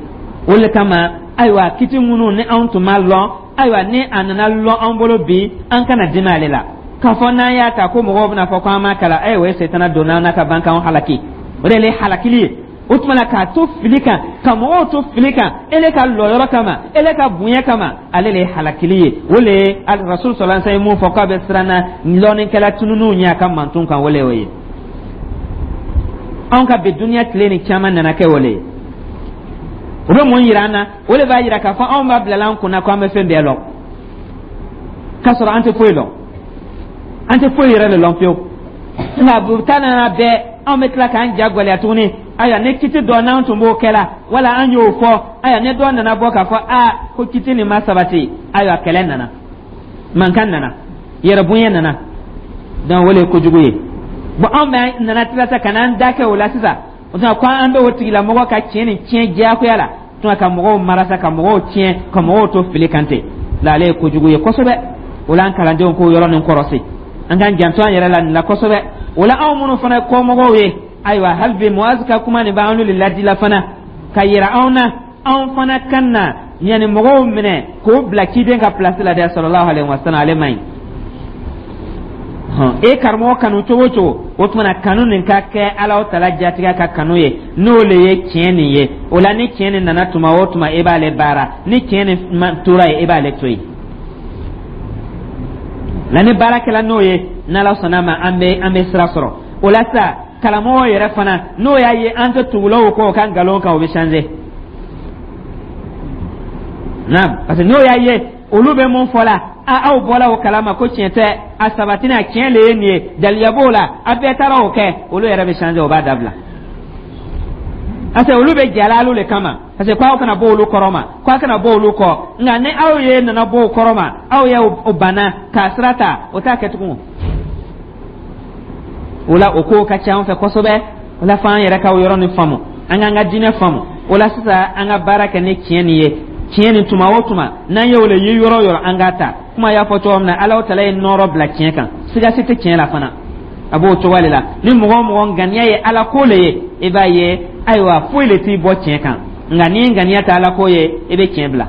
O le kama, ayiwa, kiti minnu ni anw tun ma lɔn, ayiwa, ni a nana lɔn an bolo bi, an kana dimi ale la k'a fɔ n'an y'a ta ko mɔgɔw bɛna fɔ ko an m'a kalan. Ayiwa, o ye setana donna an na ka ban k'anw halaki, o de ye halakili ye. O tuma na, k'a to fili kan, ka mɔgɔw to fili kan, ele ka lɔyɔrɔ kama, ele ka bonya kama, ale le ye halakili ye. O le ye Rasul sallallahu alaihi wasallam ye mun fɔ k'a bɛ siran na lɔnnikɛla tununw ɲɛ a ka manton kan, o le y'o ye. Anw ka bi duniya tile ni caman nana kɛ o le ye. O bɛ mun yira an na? O de b'a yira k'a fɔ anw b'a bilala an kunna ko an bɛ fɛn bɛɛ lɔn, k'a sɔrɔ an tɛ foyi lɔn, an tɛ foyi yɛrɛ de lɔn fiyewu. Nka buta nana bɛɛ, anw bɛ tila k'an ja gwɛlɛya tuguni. Ayiwa, ni kiti dɔ n'an tun b'o kɛ la, wala an y'o fɔ, Ayiwa, ne dɔ nana bɔ k'a fɔ a ko kiti nin ma sabati, ayiwa, kɛlɛ nana, mankan nana, yɛrɛbonya nana. Donc o le ye kojugu ye. Bon, anw bɛ nana tila sa ka n'an da kɛ o la sisan. O tuma ko an bɛ o tigilamɔgɔ ka tiɲɛ ni tiɲɛ diyagoya la tuma ka mɔgɔw mara sa, ka mɔgɔw tiɲɛ, ka mɔgɔw to fili kan ten la, ale ye kojugu ye kosɛbɛ. O la, an kalandenw k'o yɔrɔ nin kɔrɔsi, an k'an janto an yɛrɛ la nin la kosɛbɛ. O la, anw minnu fana ye kɔmɔgɔw ye, ayiwa, hali bi Muazi ka kuma nin b'an de ladila fana ka yira anw na, anw fana kan na yanni mɔgɔw minɛ k'o bila ciden ka place la dɛ, sallallahu alaihi wasallam. Ale man ɲi. E karamɔgɔ kanu cogo o cogo, o tuma na kanu nin ka kɛ Alahu Taala jatigɛ ka kanu ye, n'o le ye tiɲɛ nin ye. O la, ni tiɲɛ nin nana tuma o tuma, e b'ale baara. Ni tiɲɛ nin tora yen, e b'ale to yen. La ni baara kɛla n'o ye, n'Ala sɔnna ma, an bɛ an bɛ sira sɔrɔ. O la sa, karamɔgɔ yɛrɛ fana, n'o y'a ye an tɛ tugulaw kɔ o ka nkalon kan, o bɛ changer naam, parce que n'o y'a ye olu bɛ mun fɔ la, a aw bɔla o kalama ko tiɲɛ tɛ, a sabatini a tiɲɛ le ye nin ye, daliya b'o la, a bɛɛ taara o kɛ, olu yɛrɛ bɛ changer, o b'a dabila, parce que olu bɛ jala alu le kama, parce que k'aw kana bɔ olu kɔrɔ ma, k'aw kana bɔ olu kɔ. Nka ni aw ye nana bɔ o kɔrɔ ma, aw ye o banna k'a sira ta, o t'a kɛ tugun. O la, o kow ka ca an fɛ kosɛbɛ. O la, f'an yɛrɛ ka o yɔrɔ nin faamu, an k'an ka diinɛ faamu. O la sisan, an ka baara kɛ ni tiɲɛ nin ye. Tiɲɛ nin, tuma o tuma n'an ye o le ye yɔrɔ o yɔrɔ, an k'a ta. Kuma y'a fɔ cogo min na, Ala tala ye nɔrɔ bila tiɲɛ kan, siga si tɛ tiɲɛ la fana. A b'o cogo de la. Ni mɔgɔ o mɔgɔ ŋaniya ye Ala ko le ye, i b'a ye, ayiwa, foyi le t'i bɔ tiɲɛ kan. Nka n'i ŋaniya tɛ Ala ko ye, i bɛ tiɲɛ bila.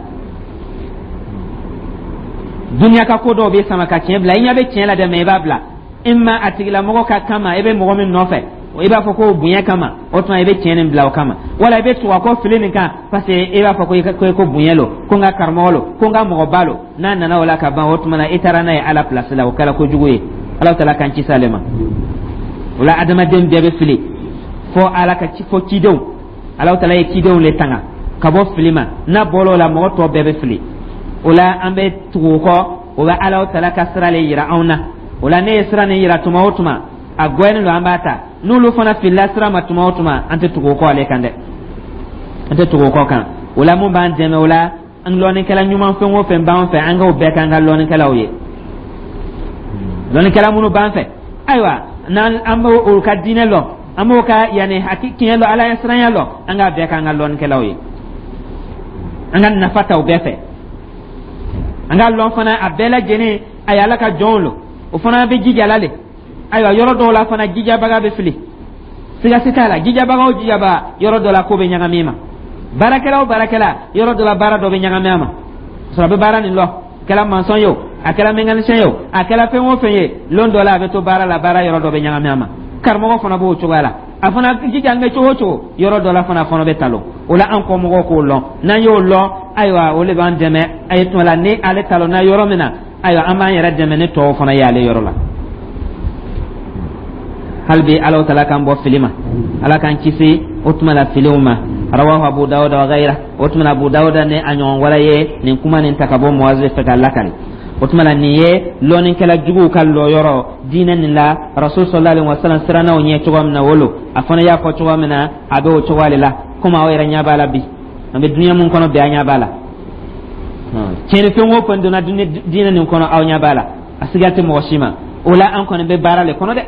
Duniya ka ko dɔw bɛ sama ka tiɲɛ bila. I ɲɛ bɛ tiɲɛ la dɛ, mɛ i b'a bila i ma a tigilamɔgɔ ka kama. I bɛ mɔgɔ min nɔfɛ, i b'a fɔ ko bonya kama, o tuma i bɛ tiɲɛ nin bila o kama, wala i bɛ tugu a kɔ fili nin kan, parce que i b'a fɔ ko i ko ko bonya lo, ko n ka karamɔgɔ lo, ko n ka mɔgɔba lo. N'a nana o la ka ban, o tuma na i taara n'a ye Ala place la, o kɛra kojugu ye. Ala tala k'an kisi ale ma. O la, adamaden bɛɛ bɛ fili, fo Ala ka ci, fo cidenw. Ala tala ye cidenw le tanga ka bɔ fili ma. N'a bɔra o la, mɔgɔ tɔ bɛɛ bɛ fili. O la, an bɛ tugu o kɔ, o bɛ Ala tala ka sira le yira anw na. O la, ne ye sira nin yira tuma o tuma, a gɔyɛnen don, an b'a ta. N'olu fana filila sira ma tuma o tuma, an tɛ tugu o kɔ ale kan dɛ, an tɛ tugu o kɔ kan. O la, mun b'an dɛmɛ o la? An lɔnnikɛla ɲuman fɛn o fɛn b'an fɛ, an k'o bɛɛ k'an ka lɔnnikɛlaw ye. Lɔnnikɛla minnu b'an fɛ, ayiwa, n'an an b'o ka diinɛ lɔn, an b'o ka yanni haki tiɲɛ lɔn, Ala ɲɛsiranya lɔn, an k'a bɛɛ k'an ka lɔnnikɛlaw ye, an ka nafa ta o bɛɛ fɛ. An k'a lɔn fana, a bɛɛ lajɛlen a ye Ala ka jɔnw lo, o fana bɛ jija la le. Ayiwa, yɔrɔ dɔw la fana, jijabaga bɛ fili, siga si t'a la. Jijabaga o jijabaga, yɔrɔ dɔ la ko bɛ ɲagami ma. Baarakɛla o baarakɛla, yɔrɔ dɔ la baara dɔ bɛ ɲagami a ma. Sɔrɔ a bɛ baara nin lɔ, kɛla maçon ye o, a kɛla mécanicien ye o, a kɛla fɛn o fɛn ye, lon dɔ la a bɛ to baara la, baara yɔrɔ dɔ bɛ ɲagami a ma. Karamɔgɔ fana b'o cogoya la, a fana jijalen bɛ cogo o cogo, yɔrɔ dɔ la fana, a fana bɛ talon. O la, an kɔmɔgɔw k'o lɔn. N'an y'o lɔn, ayiwa, o de b'an dɛmɛ. A ye tuma la ni ale talonna yɔrɔ min na, ayiwa, an b'an yɛrɛ dɛmɛ ni tɔw fana ye ale yɔrɔ la. Hali bi, Ala tala k'an bɔ fili ma, Ala k'an kisi o tuma la filiw ma. Rawahu Abu Dawuda wa ghayra. O tuma na, Abu Dawuda ni a ɲɔgɔn wɛrɛ ye nin kuma nin ta ka bɔ Muwazi fɛ ka lakali. O tuma na, nin ye lɔnnikɛla juguw ka lɔyɔrɔ diinɛ nin la. Rasul sallallahu alaihi wasallam sirannaw ɲɛ cogo min na, wolo a fana y'a fɔ cogo min na, a bɛ o cogoya de la. Komi aw yɛrɛ ɲɛ b'a la bi, an bɛ diɲɛ mun kɔnɔ bi, an ɲɛ b'a la, tiɲɛnifɛn o fɛn donna diinɛ nin kɔnɔ, aw ɲɛ b'a la, a siga tɛ mɔgɔ si ma. O la, an kɔni bɛ baara le kɔnɔ dɛ,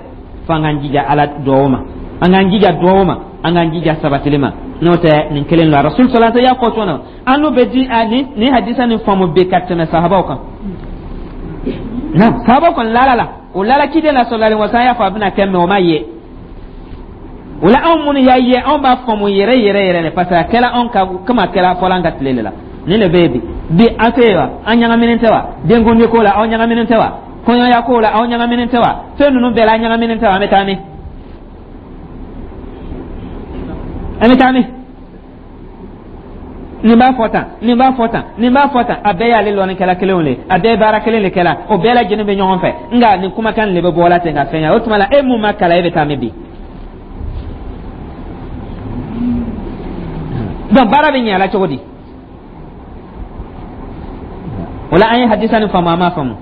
fo an k'an jija Ala duwawu ma, an k'an jija duwawu ma, an k'an jija sabatili ma. N'o tɛ, nin kelen la, Rasul sallallahu alaihi wasallam y'a fɔ cogo min na, an n'u bɛ di nin nin hadisa nin faamu bi ka tɛmɛ sahabaw kan. Naam, sahabaw kɔni lala la, o lala ciden la sallallahu alaihi wasallam y'a fɔ a bɛna kɛ, mɛ o ma ye. O la, anw minnu y'a ye, anw b'a faamu yɛrɛ yɛrɛ yɛrɛ de, parce que a kɛla anw ka komi a kɛla fɔlɔ an ka tile de la. Nin de bɛ yen bi. Bi an tɛ yen wa? An ɲagaminen tɛ wa? Denkundi ko la, aw ɲagaminen tɛ wa? Kɔɲɔya ko la, aw ɲagaminen tɛ wa? Fɛn ninnu bɛɛ la, an ɲagaminen tɛ wa? An bɛ taa min? An bɛ taa min? Nin b'a fɔ tan, nin b'a fɔ tan, nin b'a fɔ tan, a bɛɛ y'ale lɔnnikɛla kelenw le, a bɛɛ ye baara kelen de kɛla, o bɛɛ lajɛlen bɛ ɲɔgɔn fɛ. Nka nin kumakan de bɛ bɔ la ten ka fɛn kɛ. O tuma la, e mun ma kalan, e bɛ taa min bi? Donc baara bɛ ɲɛ a la cogo di? O la, an ye hadisa nin faamu, an m'a faamu,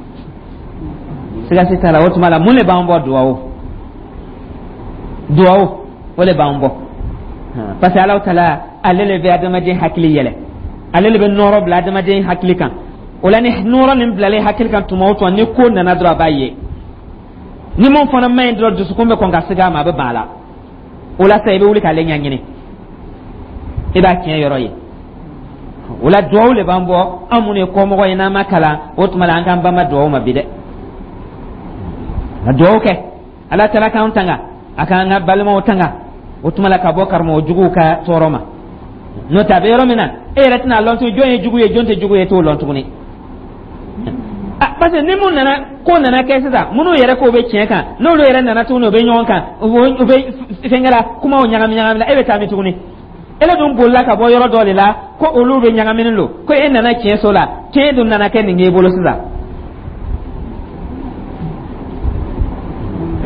siga si t'a la. O tuma la, mun de b'an bɔ? Duwawu, duwawu, o de b'an bɔ, parce que Alahu Taala, ale le bɛ adamaden hakili yɛlɛ. Ale le bɛ nɔɔrɔ bila adamaden hakili kan. O la, ni nɔɔrɔ nin bilalen hakili kan tuma o tuma, ni ko nana dɔrɔn, a b'a ye. Ni mun fana ma ɲi dɔrɔn, dusukun bɛ kɔn ka sigi a ma, a bɛ ban a la. O la sa, i bɛ wuli k'ale ɲɛɲini, i b'a tiɲɛ yɔrɔ ye. O la, duwawu le b'an bɔ. An minnu ye kɔmɔgɔ ye, n'an ma kalan, o tuma la an k'an banba duwawu ma bi dɛ. Ka duwawu kɛ Ala tala k'an tanga, a k'an ka balimaw tanga, o tuma la ka bɔ karamɔgɔ juguw ka tɔɔrɔ ma. N'o tɛ, a bɛ yɔrɔ min na, e yɛrɛ tɛna lɔn tuguni jɔn ye jugu ye, jɔn tɛ jugu ye, e t'o lɔn tuguni. Parce que ni mun nana, ko nana kɛ sisan, minnu yɛrɛ k'o bɛ tiɲɛ kan, n'olu yɛrɛ nana tuguni, o bɛ ɲɔgɔn kan, u bɛ fɛnkɛ la, kumaw ɲagami ɲagami la, e bɛ taa min tuguni? Ele dun bolila ka bɔ yɔrɔ dɔ de la ko olu bɛ ɲagaminen don, ko e nana tiɲɛ so la, tiɲɛ dun nana kɛ nin k'e bolo sisan.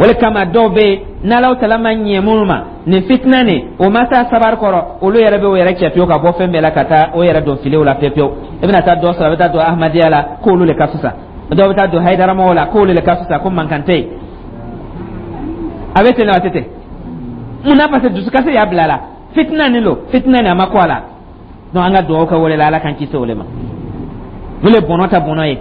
O de kama, dɔw bɛ yen, n'Alaw tala ma ɲɛ minnu ma, nin fitina nin, o ma taa sabari kɔrɔ, olu yɛrɛ bɛ o yɛrɛ cɛ pewu ka bɔ fɛn bɛɛ la, ka taa o yɛrɛ don filiw la pewu pewu. I bɛna taa dɔ sɔrɔ, a bɛ taa don Ahmadiyya la k'olu de ka fisa. Dɔw bɛ taa don Hayidaramɔgɔw la k'olu de ka fisa, ko mankan tɛ yen. A bɛ ten wa, a tɛ ten? Munna? Parce que dusukasi y'a bila a la. Fitina nin lo, fitina nin a ma kɔ a la. Donc an ka dugawu kɛ o de la, Ala k'an kisi o de ma. O le bɔnɔ ta bɔnɔ ye.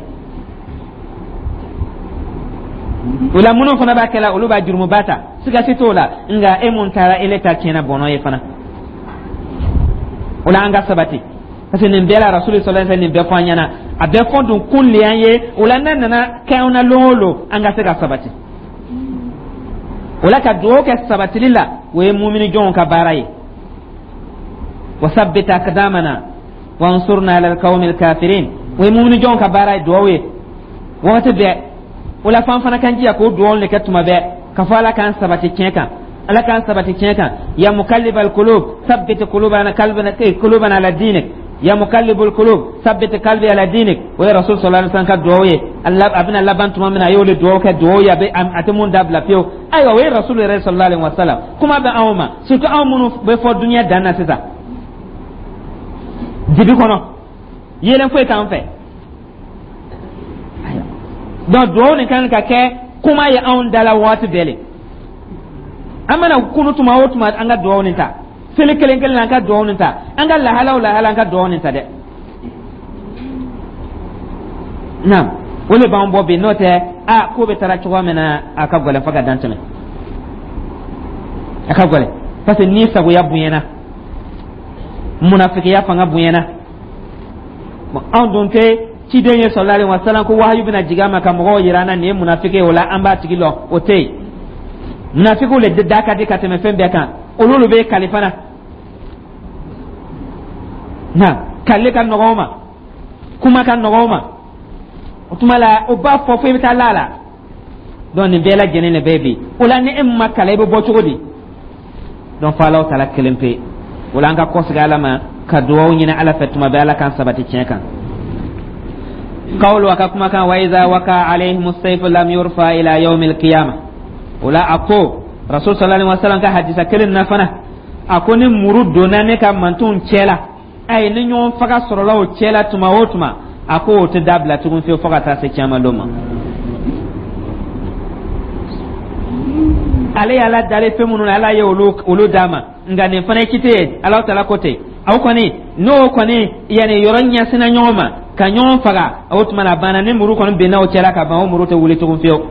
O la, minnu fana b'a kɛla, olu b'a jurumuba ta, sigasi t'o la. Nka e mun taara, ele ta tiɲɛna, bɔnɔ ye fana. O la, an ka sabati, parce que nin bɛɛ la, Rasuli sallallahu alaihi wasallam nin bɛɛ fɔ an ɲɛna, a bɛɛ fɔ dun kun le y'an ye. O la, n'a nana kɛ anw na lon o lon, an ka se ka sabati. O la, ka dugawu kɛ sabatili la, o ye mumini jɔnw ka baara ye. Wasabbit aqdamana wansurna ala alqawmi alkafirin, o ye mumini jɔnw ka baara ye, dugawu ye wagati bɛɛ. O la, f'an fana kan jija k'o dugawu de kɛ tuma bɛɛ, ka fɔ Ala k'an sabati tiɲɛ kan, Ala k'an sabati tiɲɛ kan. Ya mukallibal qulub thabbit qulubana qalbana qulubana ala dinik, ya mukallibul qulub thabbit qalbi ala dinik. O ye Rasul sallallahu alaihi wasallam ka dugawu ye. A bɛna laban tuma min na, a y'o de dugawu kɛ, dugawu ye a bɛ a tɛ mun dabila pewu. Ayiwa, o ye Rasul yɛrɛ sallallahu alaihi wasallam. Kuma bɛ anw ma, surtout anw minnu bɛ fɔ dunuya dan na sisan, dibi kɔnɔ, yeelen foyi t'an fɛ. Donc dugawu nin kan ka kɛ kuma ye anw da la waati bɛɛ le. An mana kunu tuma o tuma, an ka dugawu nin ta. Seli kelen kelen na, an ka dugawu nin ta. An ka lahala o lahala, an ka dugawu nin ta dɛ. Naam, o de b'an bɔ bi. N'o tɛ, a ko bɛ taara cogoya min na, a ka gɛlɛn fo ka dan tɛmɛ, a ka gɛlɛn, parce que ni sagoya bonyana, munafikiya fanga bonyana. Anw dun tɛ ciden ye sallallahu alaihi wasallam, ko wahayu bɛna jigin a ma ka mɔgɔw yira an na nin ye munafiki ye, o la an b'a tigi lɔn, o tɛ yen. Munafikiw le da ka di ka tɛmɛ fɛn bɛɛ kan. Olu le bɛ kali fana na, kali ka nɔgɔn o ma, kuma ka nɔgɔn o ma. O tuma la, o b'a fɔ fo i bɛ taa la la. Donc nin bɛɛ lajɛlen de bɛ bi. O la, ni e ma kalan, i bɛ bɔ cogo di? Donc fo Alahu taala kelen pe. O la, an ka kɔsegin Ala ma ka dugawu ɲini Ala fɛ tuma bɛɛ, Ala k'an sabati tiɲɛ kan. Qawlu, a ka kumakan, wa iza waka alayhim sayfu lam yurfa ila yawmi alqiyama. O la, a ko Rasul sallallahu alaihi wasallam ka hadisa kelen na fana, a ko ni muru donna ne ka mantonw cɛ la, ayi, ni ɲɔgɔn faga sɔrɔla o cɛ la tuma o tuma, a ko o tɛ dabila tugun fiyewu fo ka taa se caman don ma. Ale y'Ala dalen fɛn minnu na, Ala ye olu olu d'a ma. Nka nin fana ye kite ye, Alahu taala ko ten. Aw kɔni, n'o kɔni yanni yɔrɔ ɲɛsinna ɲɔgɔn ma ka ɲɔgɔn faga, o tuma na a banna. Ni muru kɔni binna o cɛla ka ban, o muru tɛ wuli tugun fiyewu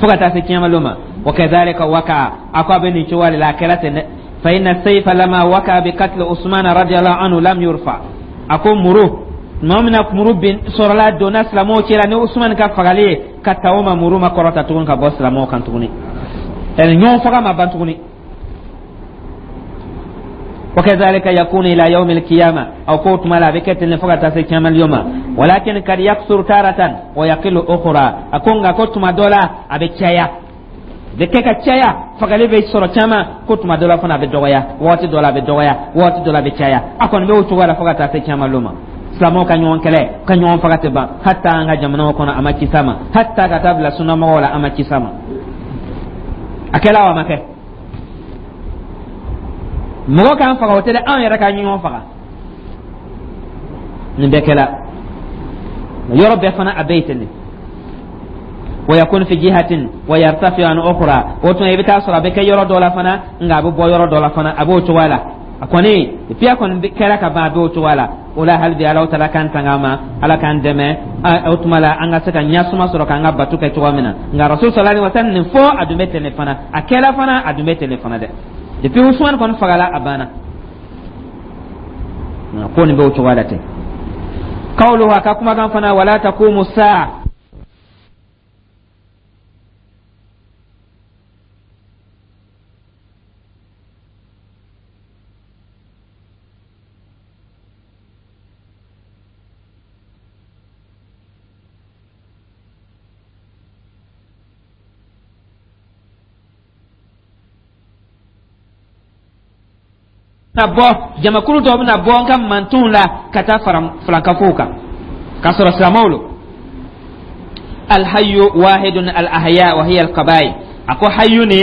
fo ka taa se kiyama ma. Wa kadhalika waka, a ko a bɛ nin cogoya de la, a kɛra ten dɛ. Fa inna sayfa lama waka bi qatl Usman radiyallahu anhu lam yurfa. A ko muru tuma min na muru bin sɔrɔla, donna silamɛw cɛla ni Usman ka fagali ye, ka ta o ma, muru ma kɔrɔta tuguni ka bɔ silamɛw kan tuguni, yani ɲɔgɔn faga ma ban tuguni. وكذلك يكون إلى يوم القيامة، أو قوت ما لا بكت فقط تسكيما اليوم، ولكن قد يكثر تارة ويقل أخرى. أكون كنت ما دولا أبي تشايا bɛ kɛ ka caya, fagali bɛ sɔrɔ caman, ko tuma dɔ la fana a bɛ dɔgɔya, waati dɔ la a bɛ dɔgɔya, waati dɔ la a bɛ caya. A kɔni bɛ o cogoya la fo ka taa se caman lon ma. Silamɛw ka ɲɔgɔn kɛlɛ, ka ɲɔgɔn faga tɛ ban, hatta an ka jamanaw kɔnɔ a ma kisa ma, hatta ka taa bila sunnamɔgɔw la a ma kisa ma. A kɛla wa, a ma kɛ? Mɔgɔ k'an faga, o tɛ dɛ, anw yɛrɛ ka ɲɔgɔn faga. Nin bɛɛ kɛla yɔrɔ bɛɛ fana, a bɛɛ ye ten de. Wa yakun fi jihatin wa yartafi an ukhra, o tuma i bɛ taa sɔrɔ a bɛ kɛ yɔrɔ dɔ la fana, nka a bɛ bɔ yɔrɔ dɔ la fana, a b'o cogoya la. A kɔni depuis a kɔni kɛra ka ban, a bɛ o cogoya la. O la, hali bi Ala taala k'an tanga a ma, Ala k'an dɛmɛ. O tuma la, an ka se ka ɲasuma sɔrɔ k'an ka bato kɛ cogoya min na. Nka Rasul sallallahu alaihi wasallam nin fɔ, a dun bɛ ten de fana, a kɛla fana, a dun bɛ ten de fana dɛ. Depuis Usman kɔni fagala, a banna ko nin bɛ o cogoya la ten. Kawlu, a ka kumakan fana, wala taqumu saa. Na bɔ jamakulu dɔw bɛna bɔ n ka mantonw la ka taa fara filankafow kan k'a sɔrɔ silamɛw lo. Alhayu wahidun alahya wa hiya alqabail. A ko hayu ni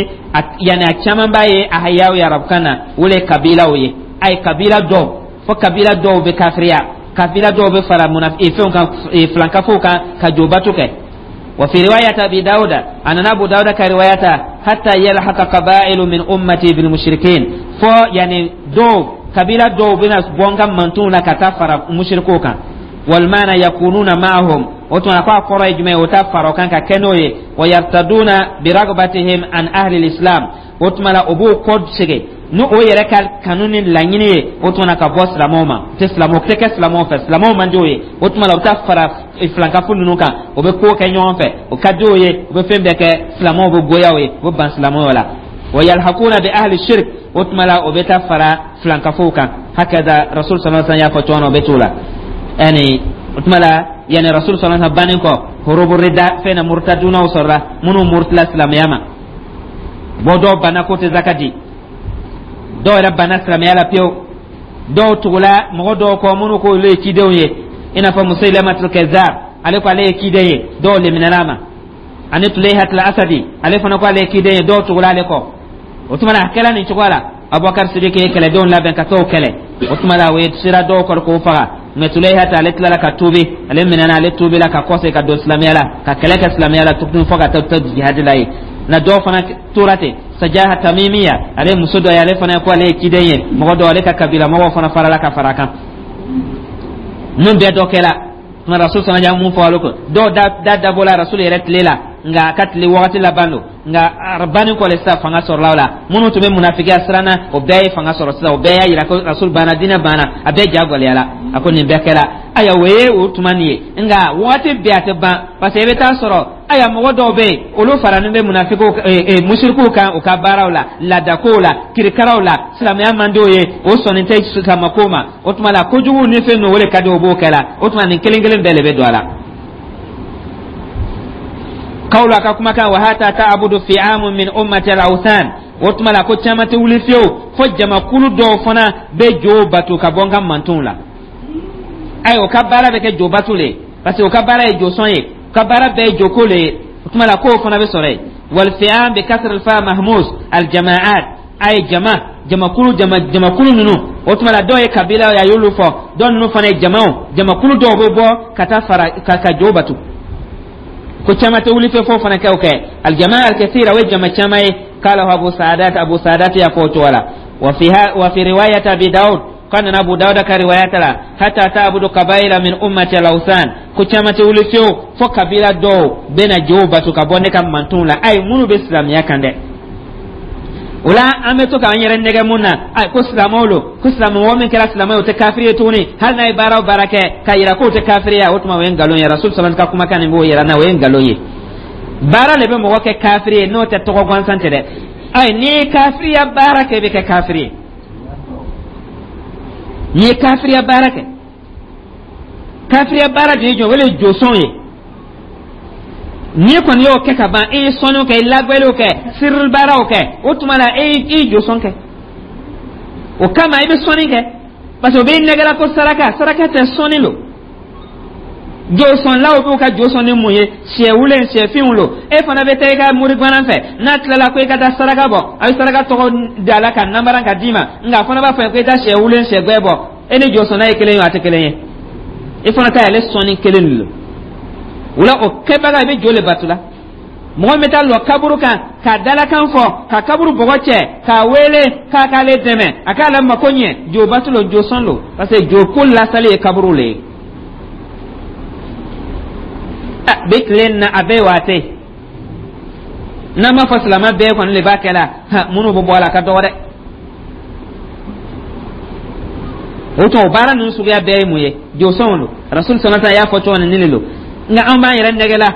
yani a caman b'a ye ahayaw ye arabukan na, o le ye kabilaw ye. A ye kabila dɔw fo, kabila dɔw bɛ kafiriya, kabila dɔw bɛ fara munafi fɛnw kan, filankafow kan, ka jobatu kɛ. وفي رواية أبي داود أن أبو داود كرواية حتى يلحق قبائل من أمتي بالمشركين، فو يعني دو قبيلة دو بنا بونغا منتون كتفر مشركوكا، والمعنى يكونون معهم، وتنا قا قرى جمع وتفر كان كنوي ويرتدون برغبتهم عن أهل الإسلام. وتما أبو قد سجى n'o o yɛrɛ ka kanu ni laɲini ye, o tuma ka bɔ silamɛw ma, tɛ silamɛw tɛ kɛ silamɛw fɛ, silamɛw man di o ye. O tuma la, u bɛ taa fara filankafo ninnu kan, o bɛ ko kɛ ɲɔgɔn fɛ, o ka di o ye, u bɛ fɛn bɛɛ kɛ, silamɛw bɛ goya o ye, u bɛ ban silamɛw la. Wa yalhaquna bi ahli shirk, o tuma la o bɛ taa fara filankafow kan. Hakaza Rasul sallallahu alaihi wasallam y'a fɔ cogo min na, o bɛ t'o la. Yani o tuma la, yani Rasul sallallahu alaihi wasallam bannen kɔ, hurubu rida fɛn na, murtadunaw sɔrɔla, minnu murtila silamɛya ma. Bɔ dɔw banna ko tɛ zaka di, dɔw yɛrɛ banna silamɛya la pewu, dɔw tugula mɔgɔ dɔw kɔ minnu ko olu ye cidenw ye, i n'a fɔ Musailamatul Kazzab, ale ko ale ye ciden ye, dɔw leminɛna a ma, ani Tulayhatul Asadi, ale fana ko ale ye ciden ye, dɔw tugula ale kɔ. O tuma na, a kɛla nin cogoya la, Abubakar Sidiki ye kɛlɛdenw labɛn ka t'o kɛlɛ. O tuma la, o ye sira dɔw kɔrɔ k'o faga. Mɛ Tulayhata, ale tilala ka tuubi, ale minɛna, ale tuubila ka kɔsegin ka don silamɛya la, ka kɛlɛ kɛ silamɛya la tuguni fo ka taa jihadi la ye. Na dɔw fana tora ten, Sajaha Tamimiya, ale muso dɔ ye, ale fana ko ale ye ciden ye, mɔgɔ dɔw ale ka kabila mɔgɔw fana farala ka fara kan. Ninnu bɛɛ dɔ kɛla tuma Rasul sɔnna ja mun fɔ olu ko dɔw da da dabɔla Rasul yɛrɛ tile la, nka a ka tile wagati laban don. Nka a banni kɔ le sisan, fanga sɔrɔla o la, minnu tun bɛ munafigiya siran na, o bɛɛ ye fanga sɔrɔ sisan, o bɛɛ y'a yira ko Rasul banna, diinɛ banna, a bɛɛ ja gɛlɛyala. A ko nin bɛɛ kɛra, ayiwa, o ye o tuma nin ye. Nka wagati bɛɛ a tɛ ban, parce que i bɛ taa sɔrɔ, ayiwa, mɔgɔ dɔw bɛ yen, olu faranin bɛ munafigiw musirikuw kan u ka baaraw la, laadakow la, kirikaraw la, silamɛya man di o ye, o sɔnni tɛ silamɛko ma. O tuma la, kojugu ni fɛn ninnu, o de ka di o, b'o kɛ la. O tuma nin kelen kelen bɛɛ de bɛ don a la. Kawlu, a ka kumakan, wa hata ta'budu fi'amun min ummati al-awthan. O tuma la, ko caman tɛ wuli fiyewu fo jamakulu dɔw fana bɛ jo bato ka bɔ n ka mantonw la. Ayi, o ka baara bɛ kɛ jo bato le ye, parce que o ka baara ye josɔn ye, o ka baara bɛɛ ye joko le ye. O tuma la, k'o fana bɛ sɔrɔ yen. Wal fi'am bi kasr al fa mahmus al jama'at, ay jama jamakulu, jama jamakulu ninnu. O tuma la, dɔw ye kabila ye, a y'olu fɔ, dɔw ninnu fana ye jamaw, jamakulu dɔw bɛ bɔ ka taa fara ka ka jo bato. Ko caman tɛ wuli fɛ fo fana kɛ o kɛ aljamaa alkathira, o ye jama caman ye. Kala Abu Saadat, Abu Saadat y'a fɔ o cogo la. Wa fi wa fi riwayat Abi Daud, kan na Abu Dawud ka riwayata la, hatta ta'budu qabaila min ummati al-awthan, ko caman tɛ wuli fiyewu fo kabila dɔw bɛna jow bato ka bɔ ne ka mantonw la. Ayi, minnu bɛ silamɛya kan dɛ. O la, an bɛ to k'an yɛrɛ nɛgɛ mun na? Ayi, ko silamɛw lo, ko silamɛ mɔgɔ min kɛra silamɛ ye, o tɛ kafiri ye tuguni, hali n'a ye baara o baara kɛ k'a yira k'o tɛ kafiri ye. O tuma, o ye nkalon ye. Rasul sallallahu ka kumakan nin b'o yira n na, o ye nkalon ye. Baara de bɛ mɔgɔ kɛ kafiri ye, n'o tɛ tɔgɔ gansan tɛ dɛ. Ayi, n'i ye kafiriya baara kɛ, i bɛ kɛ kafiri ye. N'i ye kafiriya baara kɛ, kafiriya baara de ye jɔn? O de ye josɔn ye. N'i kɔni y'o kɛ ka ban, e ye sɔnniw kɛ, i lagbɛliw kɛ, sirili baaraw kɛ, o tuma la e y'i josɔn kɛ. O kama i bɛ sɔnni kɛ, parce que o b'i nɛgɛla ko saraka, saraka tɛ, sɔnni lo. Josɔnlaw b'u ka josɔn ni mun ye? Sɛ wulen, sɛ finw lo. E fana bɛ taa i ka mori gwanan fɛ, n'a tilala ko i ka taa saraka bɔ, a bɛ saraka tɔgɔ da la ka namara ka d'i ma, nka a fana b'a fɔ ko i taa sɛ wulen, sɛ gbɛ bɔ. E ni josɔnna ye kelen ye, a tɛ kelen ye. E fana ta y'ale sɔnni kelen de lo. O la, o kɛbaga, i bɛ jo le bato la. Mɔgɔ min bɛ taa lɔ kaburu kan ka dalakan fɔ, ka kaburu bɔgɔ cɛ k'a wele k'a k'ale dɛmɛ, a k'a la mako ɲɛ, jobatu lo, josɔn lo, parce que joko lasali ye kaburu le ye. Bi tile na a bɛɛ waate n'an b'a fɔ silamɛ bɛɛ kɔni le b'a kɛ la, minnu bɛ bɔ a la a ka dɔgɔ dɛ. O tuma, o baara ninnu suguya bɛɛ ye mun ye? Josɔnw lo. Rasul sɔnna y'a fɔ cogo min, nin de lo. Nka an b'an yɛrɛ nɛgɛ la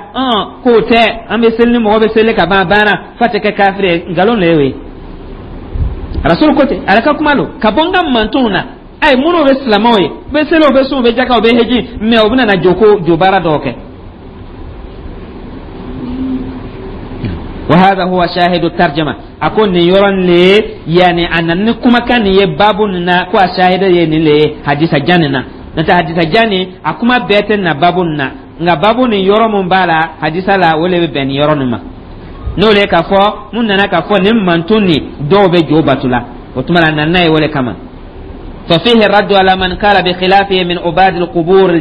k'o tɛ, an bɛ seli ni mɔgɔ bɛ seli ka ban, a banna, f'a tɛ kɛ kafiri ye. Nkalon le ye o ye. Rasul ko ten, ale ka kuma lo ka bɔ n ka mantonw na. Ayi, minnu bɛ silamɛw ye, u bɛ seli, u bɛ sun, u bɛ jaka, u bɛ heji, mɛ u bɛna na joko jo baara dɔw kɛ. وهذا هو شاهد الترجمة. أكون نيورن لي، يعني أن نكما كان يبابو نا كو شاهد يني حديث جاننا نتا حديث جاني أكما بيتن بابو نا nga babu ni yɔrɔ mun b'a la hadisa la, o le bɛ bɛn nin yɔrɔ nin ma, n'o le k'a fɔ mun nana k'a fɔ nin mantun ni dɔw bɛ jo batu la. O tuma la, nana ye o le kama. Fa fihi raddu ala man kala bi khilafihi min ubad al-qubur.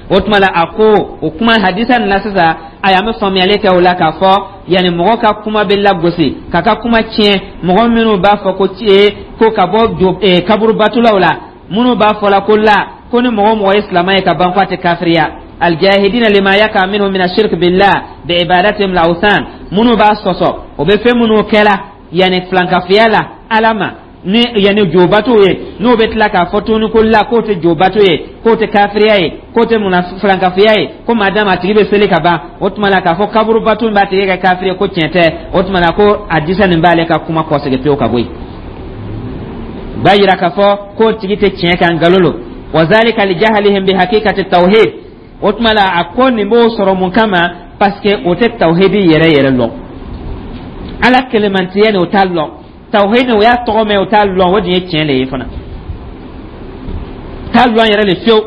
O tuma la, a ko o kuma hadisa nin la sisan, ayi, an bɛ faamuyali kɛ o la k'a fɔ yanni mɔgɔ ka kuma bɛ lagosi k'a ka kuma tiɲɛ, mɔgɔ minnu b'a fɔ ko ko ka bɔ jo kaburu batulaw la, minnu b'a fɔ la ko la ko ni mɔgɔ mɔgɔ ye silamɛ ye ka ban, k'a tɛ kafiriya. Aljahidina lima yaka minhu min ashirk billah bi ibadatihim al-awthan, minnu b'a sɔsɔ, o bɛ fɛn minnu kɛla yanni filankafiya la Ala ma ni yanni jobato ye, n'o bɛ tila k'a fɔ tuguni ko la k'o tɛ jobato ye, k'o tɛ kafiriya ye, k'o tɛ munna filankafiya ye, ko madama a tigi bɛ seli ka ban, o tuma la k'a fɔ kaburu bato min b'a tigi kɛ kafiri ye, ko tiɲɛ tɛ. O tuma la, ko a disa nin b'ale ka kuma kɔsegin pewu ka bɔ yen, b'a yira k'a fɔ k'o tigi tɛ tiɲɛ kan, nkalon lo. Wa zalika li jahalihim bi hakikati tawhid. O tuma la, a ko nin b'o sɔrɔ mun kama? Parce que o tɛ tawhidi yɛrɛ yɛrɛ lɔn, Ala kelemantiya nin o t'a lɔn, tawhidi o y'a tɔgɔ mɛn, o t'a lɔn, o dun ye tiɲɛ le ye fana, t'a lɔn yɛrɛ le fiyewu.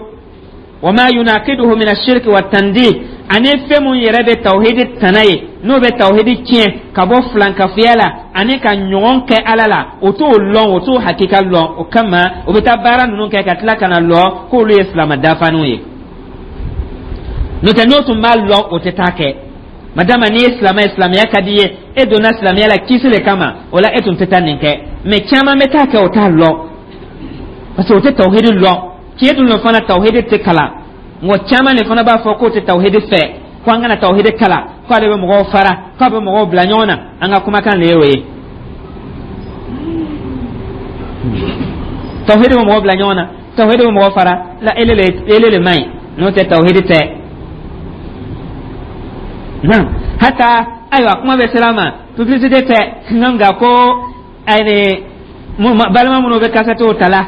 Wa ma yunaqiduhu min ashirki wa tandid, ani fɛn mun yɛrɛ bɛ tawhidi tana ye, n'o bɛ tawhidi tiɲɛ ka bɔ filankafiya la ani ka ɲɔgɔn kɛ Ala la, o t'o lɔn, o t'o hakika lɔn. O kama o bɛ taa baara ninnu kɛ ka tila ka na lɔ k'olu ye silamɛ dafaniw ye. N'o tɛ, n'o tun b'a lɔn, o tɛ taa kɛ. Madama n'i ye silamɛ ye, silamɛya ka di ye, e donna silamɛya la kisi le kama, o la e tun tɛ taa nin kɛ. Mɛ caman bɛ taa kɛ, o t'a lɔn, parce que o tɛ tawhidi lɔn. Tiɲɛ dun fana, tawhidi tɛ kalan. Mɔgɔ caman de fana b'a fɔ k'o tɛ tawhidi fɛ, ko an kana tawhidi kalan, k'ale bɛ mɔgɔw fara, k'a bɛ mɔgɔw bila ɲɔgɔn na. An ka kumakan le ye o ye. Tawhidi bɛ mɔgɔw bila ɲɔgɔn na, tawhidi bɛ mɔgɔw fara la, ele le ele le man ɲi, n'o tɛ tawhidi tɛ. Naam, hata ayiwa, kuma bɛ sira ma, publicité tɛ, nka ko ayi, balima minnu bɛ kasɛtiw ta la,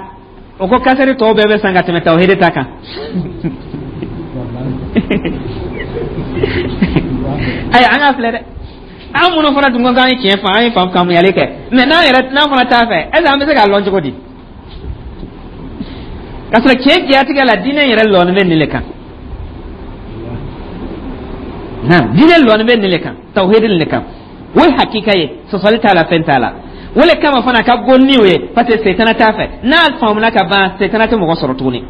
o ko kasɛti tɔw bɛɛ bɛ san ka tɛmɛ tawhidi ta kan. Ayiwa, an k'a filɛ dɛ, an minnu fana dun ko k'an ye tiɲɛ fɔ, an ye faamuyali kɛ, mɛ n'an yɛrɛ n'an fana t'a fɛ, est ce que an bɛ se k'a lɔn cogo di? K'a sɔrɔ tiɲɛ diyatigɛ la, diinɛ yɛrɛ lɔnnen bɛ nin le kan. Naam, diinɛ lɔnnen bɛ nin le kan, tawhidi le kan, o ye hakika ye, sɔsɔli t'a la, fɛn t'a la. O le kama fana ka go ni o ye, parce que setana t'a fɛ. N'a faamuna ka ban, setana tɛ mɔgɔ sɔrɔ tuguni.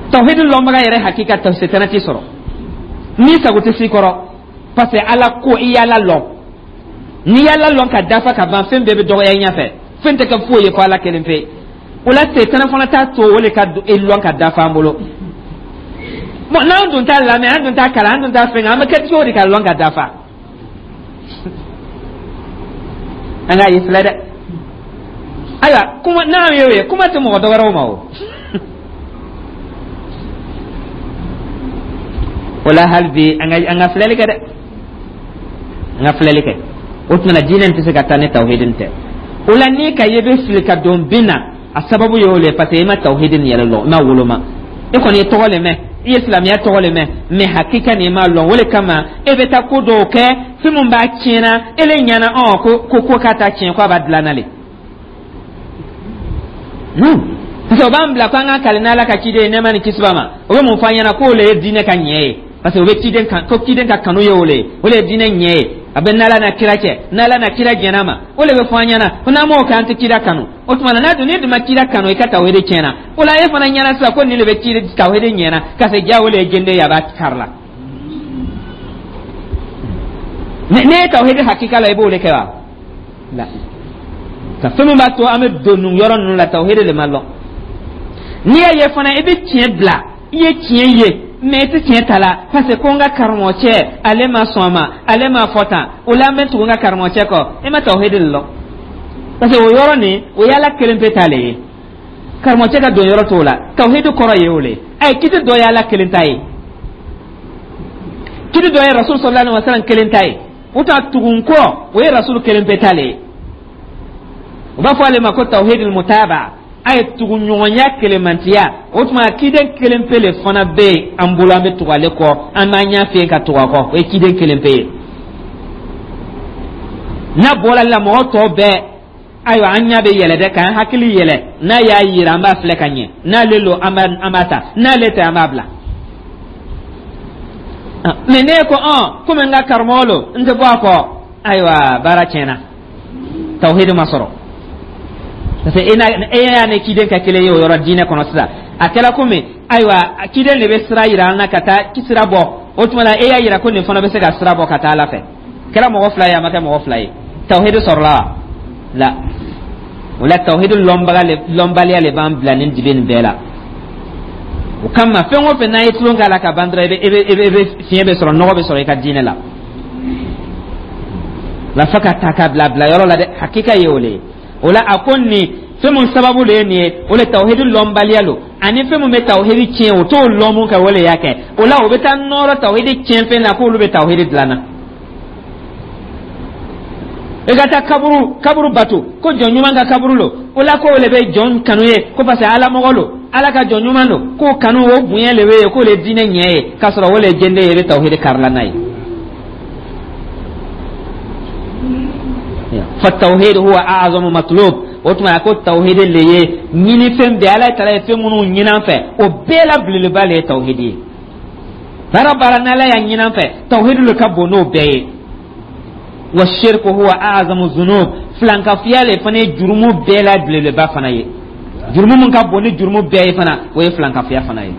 Tawhidi lɔnbaga yɛrɛ hakika ta, setana t'i sɔrɔ n'i sago tɛ s'i kɔrɔ, parce que Ala ko i y'Ala lɔn. N'i y'Ala lɔn ka dafa ka ban, fɛn bɛɛ bɛ dɔgɔya i ɲɛfɛ, fɛn tɛ kɛ foyi ye fo Ala kelen pe. O la setana fana t'a to o le ka e lɔn ka dafa an bolo. Bon, n'an dun t'a lamɛn, an dun t'a kalan, an dun t'a fɛn, an bɛ kɛ cogo di ka lɔn ka dafa? An k'a ye filɛ dɛ. Ayiwa, kuma n'an y'o ye, kuma tɛ mɔgɔ dɔwɛrɛw ma o. O la hali bi, an ka an ka filɛli kɛ dɛ, an ka filɛli kɛ. O tuma na, diinɛ tɛ se ka taa ni tawhidi tɛ. O la n'i ka ye bɛ fili ka don bin na, a sababu ye o le ye, parce que i ma tawhidi nin yɛrɛ lɔn, i ma woloma. E kɔni ye tɔgɔ le mɛn, i ye silamɛya tɔgɔ le mɛn, mɛ hakika nin i m'a lɔn. O le kama e bɛ taa ko dɔw kɛ, fɛn min b'a tiɲɛna e le ɲɛna, ɔ ko ko ko k'a ta tiɲɛ, ko a b'a dilan na le. Non, parce que o b'an bila ko an ka kali n'Ala ka ciden ye, nɛɛma ni kisi b'a ma. O bɛ mun fɔ an ɲɛna? K'o le ye diinɛ ka ɲɛ ye, parce que o bɛ ciden kan, ko ciden ka kanu ye o le ye, o le ye diinɛ ɲɛ ye. A bɛ n'Ala na kira cɛ, n'Ala na kira jɛn'a ma, o le bɛ fɔ an ɲɛna ko n'an m'o kɛ, an tɛ kira kanu. O tuma na, n'a dun n'i dun ma kira kanu, i ka tawhidi tiɲɛna. O la e fana ɲɛna sisan ko nin de bɛ kira tawhidi ɲɛna, ka se ja o le ye jende ye, a b'a kari la. Ne ye tawhidi hakika la, i b'o de kɛ wa? La, ka fɛn min b'a to an bɛ don nin yɔrɔ ninnu la, tawhidi de ma lɔn. N'i y'a ye fana, i bɛ tiɲɛ bila, i ye tiɲɛ ye, mais i tɛ tiɲɛ ta la, parce que ko n ka karamɔgɔcɛ, ale ma sɔn a ma, ale ma fɔ tan, o la n bɛ tugu n ka karamɔgɔcɛ kɔ. I ma tawhidi de lɔn, parce que o yɔrɔ nin, o ye Ala kelen pe ta le ye, karamɔgɔcɛ ka don yɔrɔ t'o la. Tawhidi kɔrɔ ye o le ye. Kiti dɔ ye Ala kelen ta ye, kiti dɔ ye Rasul sallallahu alaihi wasallam kelen ta ye. O ta tugun kɔ, o ye Rasul kelen pe ta le ye. U b'a fɔ ale ma ko tawhidul mutaba, a ye tugu ɲɔgɔnya kelenmantiya. O tuma, kiden kelen pe le fana bɛ yen an bolo, an bɛ tugu ale kɔ, an b'an ɲɛ fiyen ka tugu a kɔ, o ye kiden kelen pe ye. N'a bɔra la, mɔgɔ tɔ bɛɛ, ayiwa, an ɲɛ bɛ yɛlɛ dɛ, k'an hakili yɛlɛ. N'a y'a yira, an b'a filɛ ka ɲɛ. N'ale lo, an b'a an b'a ta. N'ale tɛ, an b'a bila. Mais ne ko ɔn, komi n ka karamɔgɔ lo, n tɛ bɔ a kɔ, ayiwa, baara tiɲɛna, tawhidi ma sɔrɔ, parce que e n'a e y'a ni ciden ka kelen ye o yɔrɔ diinɛ kɔnɔ sisan. A kɛra komi, ayiwa, ciden de bɛ sira yira an na ka taa sira bɔ. O tuma na, e y'a yira ko nin fana bɛ se ka sira bɔ ka taa Ala fɛ. Kɛra mɔgɔ fila ye, a ma kɛ mɔgɔ fila ye, tawhidi sɔrɔla wa? La, o la, tawhidi lɔnbaga lɔnbaliya le b'an bila nin dibi nin bɛɛ la. O kama, fɛn o fɛn n'a ye tulon k'a la ka ban dɔrɔn, i bɛ i bɛ i bɛ i bɛ fiɲɛ bɛ sɔrɔ, nɔgɔ bɛ sɔrɔ i ka diinɛ la. La, fo ka ta ka bila bila yɔrɔ la dɛ, hakika ye o le ye. O la, a ko nin fɛn mun sababu de ye nin ye, o le tawhidi lɔnbaliya lo, ani fɛn mun bɛ tawhidi tiɲɛ, o t'o lɔn mun kɛ, o le y'a kɛ. O la, o bɛ taa nɔrɔ tawhidi tiɲɛ fɛn na, k'olu bɛ tawhidi dilan na. I ka taa kaburu kaburu bato, ko jɔn ɲuman ka kaburu lo, o la ko o le bɛ jɔn kanu ye, ko parce que Ala mɔgɔ lo, Ala ka jɔn ɲuman lo, k'o kanu, o bonya le bɛ yen, k'o le diinɛ ɲɛ ye, k'a sɔrɔ o le ye jɛnden ye, i bɛ tawhidi karila n'a ye. فالتوحيد هو أعظم مطلوب. O tuma, a ko tawhidi le ye ɲinifɛn bɛɛ. Ala taala ye fɛn minnu ɲini an fɛ, o bɛɛ la belebeleba le ye tawhidi ye. Baara baara n'Ala y'a ɲini an fɛ, tawhidi le ka bon n'o bɛɛ ye. Wa shirku huwa a'zamu zunub, filankafiya le fana ye jurumu bɛɛ la belebeleba fana ye. Jurumu mun ka bon ni jurumu bɛɛ ye fana, o ye filankafiya fana ye.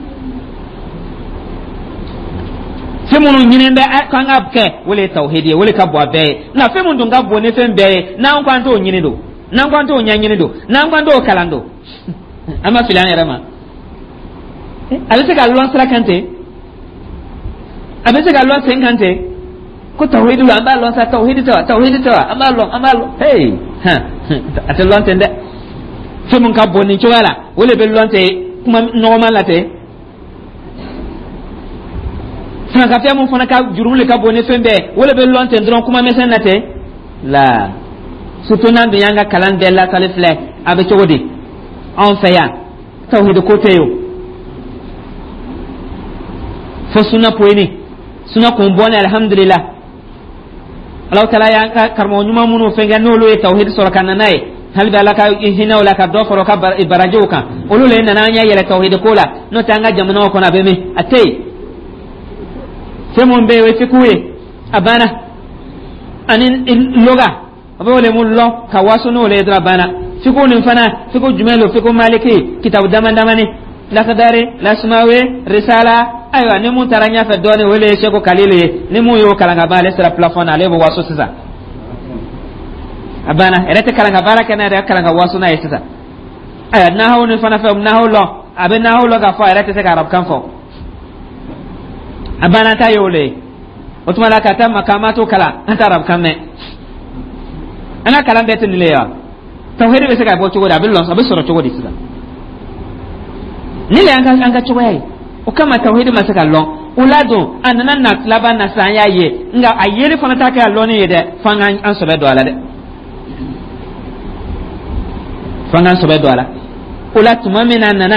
Fɛn minnu ɲini bɛ k'an ka kɛ, o le ye tawhidi ye, o le ka bon a bɛɛ ye. Nka fɛn min dun ka bon ni fɛn bɛɛ ye, n'an ko an t'o ɲini don, n'an ko an t'o ɲɛɲini don, n'an ko an t'o kalan don, an ma fili an yɛrɛ ma. A bɛ se ka lɔn sira kan ten, a bɛ se ka lɔn sen kan ten, ko tawhidi la, an b'a lɔn sa, tawhidi tɛ wa, tawhidi tɛ wa, an b'a lɔn, an b'a lɔn. Hey, a tɛ lɔn ten dɛ. Fɛn min ka bon nin cogoya la, o le bɛ lɔn ten kuma nɔgɔman la ten. Filankafiya mun fana ka jurumu le ka bon ni fɛn bɛɛ, o le bɛ lɔn ten dɔrɔn kuma misɛn na ten la. Surtout n'an dun y'an ka kalan bɛɛ lasali filɛ, a bɛ cogo di? Anw fɛ yan, tawhidi ko tɛ yen o, fo suna poyini, suna kun bɔnɛ. Alhamdulillah, Alahu taala y'an ka karamɔgɔ ɲuman minnu fɛn kɛ, n'olu ye tawhidi sɔrɔ ka na n'a ye, hali bi Ala ka hinɛ o la, ka dɔ fara o ka barajiw kan. Olu le nana an ɲɛ yɛlɛ tawhidi ko la. N'o tɛ, an ka jamanaw kɔnɔ, a bɛ min, a tɛ yen. Fɛn mun bɛ yen, o ye fiku ye, a banna, ani loga, a bɛ o le mun lɔn ka waso n'o le ye dɔrɔn, a banna. Fiku nin fana, fiku jumɛn don? Fiku maliki, kitabu dama damani, Lakadari, Lasumawe, Risala. Ayiwa, ni mun taara ɲɛfɛ dɔɔnin, o le ye Seko Kalilu ye. Ni mun y'o kalan ka ban, ale sera plafond na, ale bɛ waso sisan, a banna. Yɛrɛ tɛ kalan ka baara kɛ n'a yɛrɛ, kalan ka waso n'a ye sisan. Ayiwa, nahawu ni fana fɛ, nahawu lɔn, a bɛ nahawu lɔn k'a fɔ, a yɛrɛ tɛ se ka arabukan fɔ, a banna ta ye o le ye. O tuma la, ka taa makamatu kalan, an tɛ arabukan mɛn. An ka kalan bɛɛ tɛ nin le ye wa? Tawhidi bɛ se ka bɔ cogo di? A bɛ lɔn, a bɛ sɔrɔ cogo di sisan? Ni le y'an ka an ka cogoya ye. O kama, tawhidi ma se ka lɔn. O la don, a nana na laban na sisan, an y'a ye, nka a yeli fana t'a kɛ a lɔnni ye dɛ, f'an ka an sɔbɛ don a la dɛ, f'an k'an sɔbɛ don a la. O la, tuma min na a nana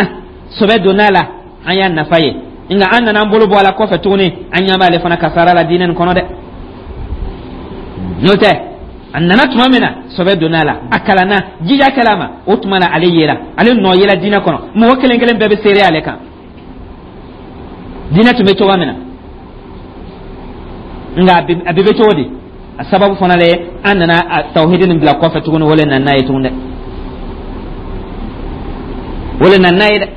sɔbɛ donna a la, an y'a nafa ye, nka an nana an bolo bɔ a la kɔfɛ tuguni, an ɲɛ b'ale fana kasara la diinɛ nin kɔnɔ dɛ. N'o tɛ, a nana tuma min na, sɔbɛ donna a la, a kalanna, jija kɛla a ma. O tuma na, ale yera, ale nɔ yela diinɛ kɔnɔ, mɔgɔ kelen kelen bɛɛ bɛ seere ale kan, diinɛ tun bɛ cogoya min na. Nka a bi bɛ cogo di? A sababu fana le, an nana a tawhidi nin bila kɔfɛ tuguni, o le nana n'a ye tuguni dɛ, o le nana n'a ye dɛ.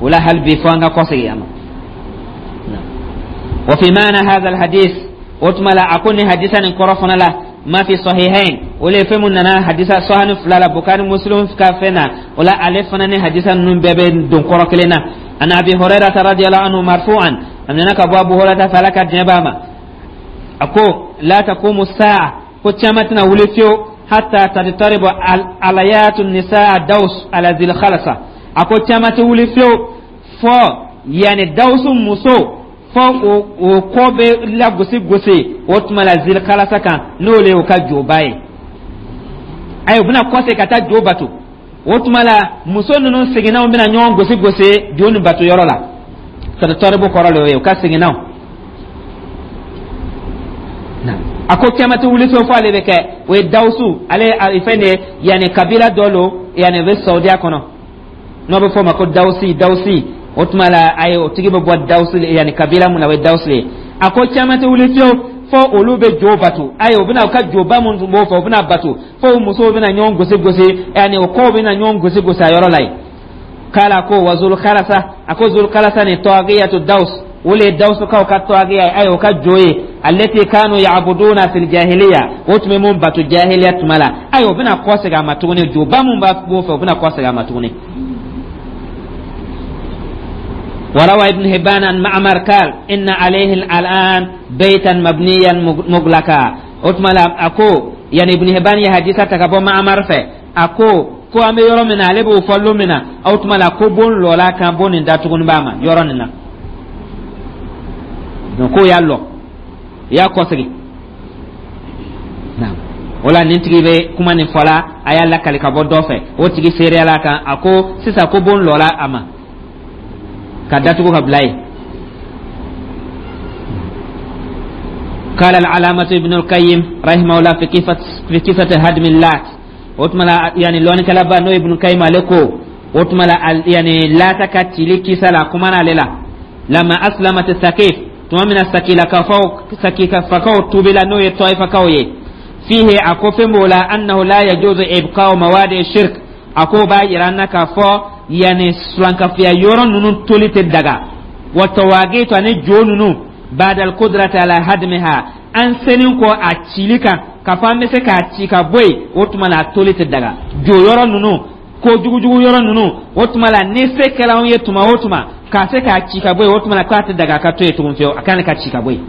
O la, hali bi, fo an ka kɔsegin a ma. وفي معنى هذا الحديث O tuma la, a ko ni hadisa nin kɔrɔ fana la, ma fi sahihain, o le fɛn mun nana hadisa sahani fila la, Bukari, Muslim ka fɛn na. O la, ale fana ni hadisa ninnu bɛɛ bɛ don kɔrɔ kelen na. An Abi Hurairata radiyallahu anhu marfu'an, a nana ka bɔ Abu Hurairata fɛ, Ala ka diɲɛ b'a ma, a ko: la taqumu sa'a, ko caman tɛna wuli fiyewu, hatta tadtaribu alayatu nisaa Daus ala zil khalasa. A ko caman tɛ wuli fiyewu fɔ yani Dawusu muso, fɔ o o kɔ bɛ lagosi gosi o tuma la zil khalasa kan, n'o le y'o ka joba ye. Ayi, u bɛna kɔse ka taa jo bato. O tuma la, muso ninnu seginnaw bɛna ɲɔgɔn gosi gosi jo ni bato yɔrɔ la. Tadtaribu kɔrɔ le o ye, u ka seginnaw. A ko kiyama tɛ wuli fiyewu fo ale bɛ kɛ. O ye Dawusu, ale fɛn de ye, yanni kabila dɔ lo, yanni o bɛ Saudiya kɔnɔ, n'o bɛ fɔ o ma ko Dawusi. Dawusi, o tuma la, ayi, o tigi bɛ bɔ Dawusi, yanni kabila mun na, o ye Dawusi ye. A ko caman tɛ wuli fiyewu fo olu bɛ jo bato. Ayi, u bɛna u ka joba mun tun b'o fɛ, u bɛna bato, fo musow bɛna ɲɔgɔn gosi gosi, yanni o kɔw bɛna ɲɔgɔn gosi gosi a yɔrɔ la yen. K'ala ko wa zul khalasa, a ko zul khalasa ni tawagiyatu Daus, o le ye Dawusukaw ka tɔgɔya ye, ayi, o ka jo ye, allati kanu ya'buduna fil jahiliya, o tun bɛ mun bato jahiliya tuma la. Ayi, o bɛna kɔ segin a ma tuguni. Joba mun b'a b'o fɛ, o bɛna kɔ segin a ma tuguni. وروى ابن هبان عن معمر قال: إن عليه الآن بيتا مبنيا مغلقا. أتمنى أكو يعني ابن هبان يا حديثة تكبو معمر في أكو ko an bɛ yɔrɔ min na, ale b'o fɔ lon min na, o tuma la ko bon lɔla kan, bon nin datuguni b'a ma yɔrɔ nin na. Donc k'o y'a lɔ, i y'a kɔsegin. O la, nin tigi bɛ kuma nin fɔla, a y'a lakali ka bɔ dɔ fɛ, o tigi seereyala kan. A ko sisan ko bon lɔla a ma ka datugu ka bila yen. قال العلامة ابن القيم رحمه الله في كيفة في قصة هدم اللات. O tuma la, yani lɔnnikɛlaba n'o ye Ibn Qayyim, ale ko o tuma la, yani Lata ka cili kisa la, a kumana ale la. Lama aslamat Sakif, tuma min na Sakilakafaw, Sakikafakaw tubila, n'o ye Tɔyifakaw ye, fihi, a ko fɛn b'o la, annahu la yajuzu ibqa'u mawadi shirk. A ko b'a yira an na k'a fɔ yani sulankafiya yɔrɔ ninnu toli tɛ daga, wa tawagitu, ani jo ninnu, ba'da al-qudrati ala hadmiha, an senin kɔ a cili kan, k'a fɔ an bɛ se k'a ci ka bɔ yen, o tuma la a toli tɛ daga. Jo yɔrɔ ninnu, ko jugujugu yɔrɔ ninnu, o tuma la ni se kɛra anw ye tuma o tuma k'a se k'a ci ka bɔ yen, o tuma la k'a tɛ daga a ka to yen tugun fiyewu, a kan ka ci ka bɔ yen.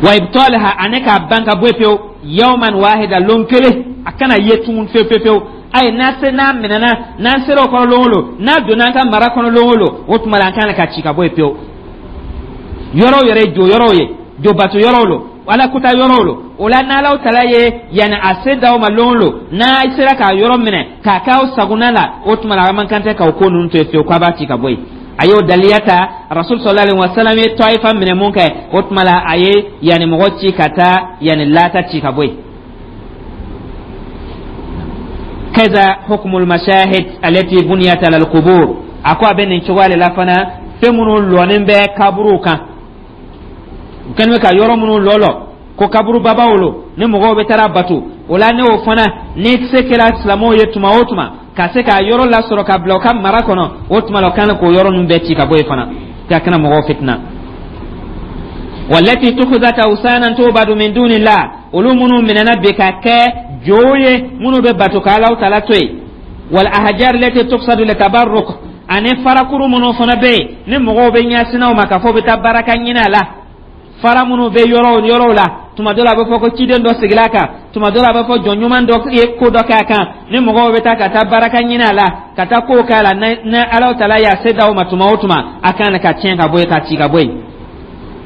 Wa ibtalaha, ani k'a ban ka bɔ yen pewu, yawman wahida, lon kelen, a kana ye tugun fewu fewu fewu. Ayi, n'a se n'a minɛna, n'an sera o kɔnɔ lon o lon, n'a donna an ka mara kɔnɔ lon o lon, o tuma la an kan ka ci ka bɔ yen pewu. Yɔrɔw yɛrɛ ye jo yɔrɔw ye, jo bato yɔrɔw lo, ala kuta yɔrɔw lo. O la, n'Alaw tala ye yanni a se d'aw ma lon o lon, n'a sera k'a yɔrɔ minɛ k'a k'aw sagona la, o tuma la a man kan tɛ k'aw ko ninnu to yen fiyewu, k'a b'a ci ka bɔ yen. A y'o daliya ta, Rasul sallallahu alaihi wasallam ye Tɔyifa minɛ mun kɛ, o tuma la a ye yanni mɔgɔ ci ka taa yanni Lata ci ka bɔ yen. Kaza hukmul mashahid allati buniyat ala alqubur. A ko a bɛ nin cogoya de la fana, fɛn minnu lɔnen bɛ kaburuw kan, u kɛlen bɛ ka yɔrɔ minnu lɔ ko kaburu babaw lo, ni mɔgɔw bɛ taara bato o la, ne o fana, ni se kɛra silamɛw ye tuma o tuma ka se k'a yɔrɔ lasɔrɔ ka bila u ka mara kɔnɔ, o tuma la o kan k'o yɔrɔ ninnu bɛɛ ci ka bɔ yen fana, ka kana mɔgɔw fitina. Walati tukhuzat awsanan tubadu min dunillah, olu minnu minɛna bi ka kɛ jow ye minnu bɛ bato ka Alaw tala to yen. Wal ahjar lati tuqsadu litabarruk, ani farakuru minnu fana bɛ yen ni mɔgɔw bɛ ɲɛsinaw ma k'a fɔ u bɛ taa baraka ɲini a la, fara minnu bɛ yɔrɔw yɔrɔw la, tuma dɔ la a bɛ fɔ ko ciden dɔ sigila a kan, tuma dɔ la a bɛ fɔ jɔn ɲuman dɔ ye ko dɔ kɛ a kan, ni mɔgɔw bɛ taa ka taa baraka ɲini a la, ka taa kow kɛ a la, ni Alaw tala y'a se d'aw ma tuma o tuma, a kan ka tiɲɛ ka bɔ yen, ka ci ka bɔ yen.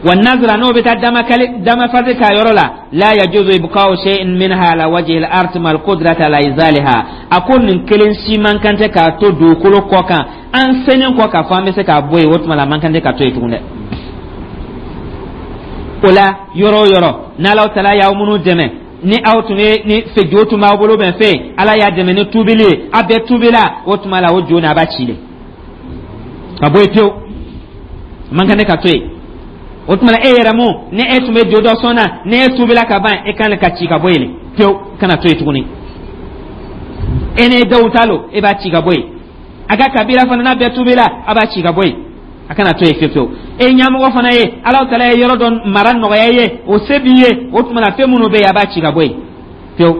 Wa nazra, n'o bɛ taa damakali damafasi k'a yɔrɔ la, la yajuzu ibqa'u shay'in minha ala wajhi al-ard mal qudrati ala izaliha. A ko nin kelen si man kan tɛ k'a to dugukolo kɔ kan, an senen kɔ k'a fɔ an bɛ se k'a bɔ yen, o tuma la a man kan tɛ ka to yen tugun dɛ. O la, yɔrɔ o yɔrɔ n'Alaw tala y'aw minnu dɛmɛ, ni aw tun ye ni fɛ jo tun b'aw bolo bɛn fɛ, Ala y'a dɛmɛ ni tubili ye, a bɛɛ tubila, o tuma la o jo nin a b'a ci de ka bɔ yen pewu, a man kan tɛ ka to yen. O tuma e yɛrɛ mun ni e tun bɛ jo dɔ sɔn na, ni e tubila ka ban, e kan ka ci ka bɔ yen pewu, kana to yen tuguni. E ni dɔw ta lo, e b'a ci ka bɔ yen. A ka kabila fana, n'a bɛɛ tubila, a b'a ci ka bɔ yen. A kana to yen fiyewu fiyewu. E ɲɛmɔgɔ fana ye, Alahu Taala ye yɔrɔ dɔ mara nɔgɔya i ye, o se b'i ye, o tuma na fɛn minnu bɛ yen, a b'a ci ka bɔ yen fiyewu.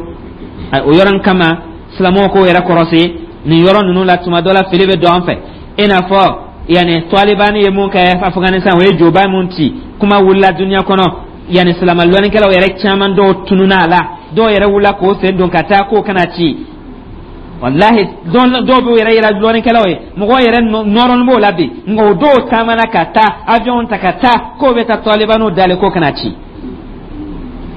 O yɔrɔ in kama, silamɛw k'o yɛrɛ kɔrɔsi nin yɔrɔ ninnu la. Tuma dɔ la, fili bɛ don an fɛ, i n'a fɔ yanni Talibani ye mun kɛ Afganistan, o ye joba mun ci, kuma wulila duniya kɔnɔ. Yanni silamɛ lɔnnikɛlaw yɛrɛ caman dɔw tununa a la, dɔw yɛrɛ wulila k'o sen don ka taa k'o kana ci. Walahi, dɔw b'u yɛrɛ yira lɔnnikɛlaw ye, mɔgɔw yɛrɛ nɔrɔnin b'o la bi, nka o dɔw taamana ka taa avion ta ka taa k'o bɛ taa Talibaniw dalen k'o kana ci.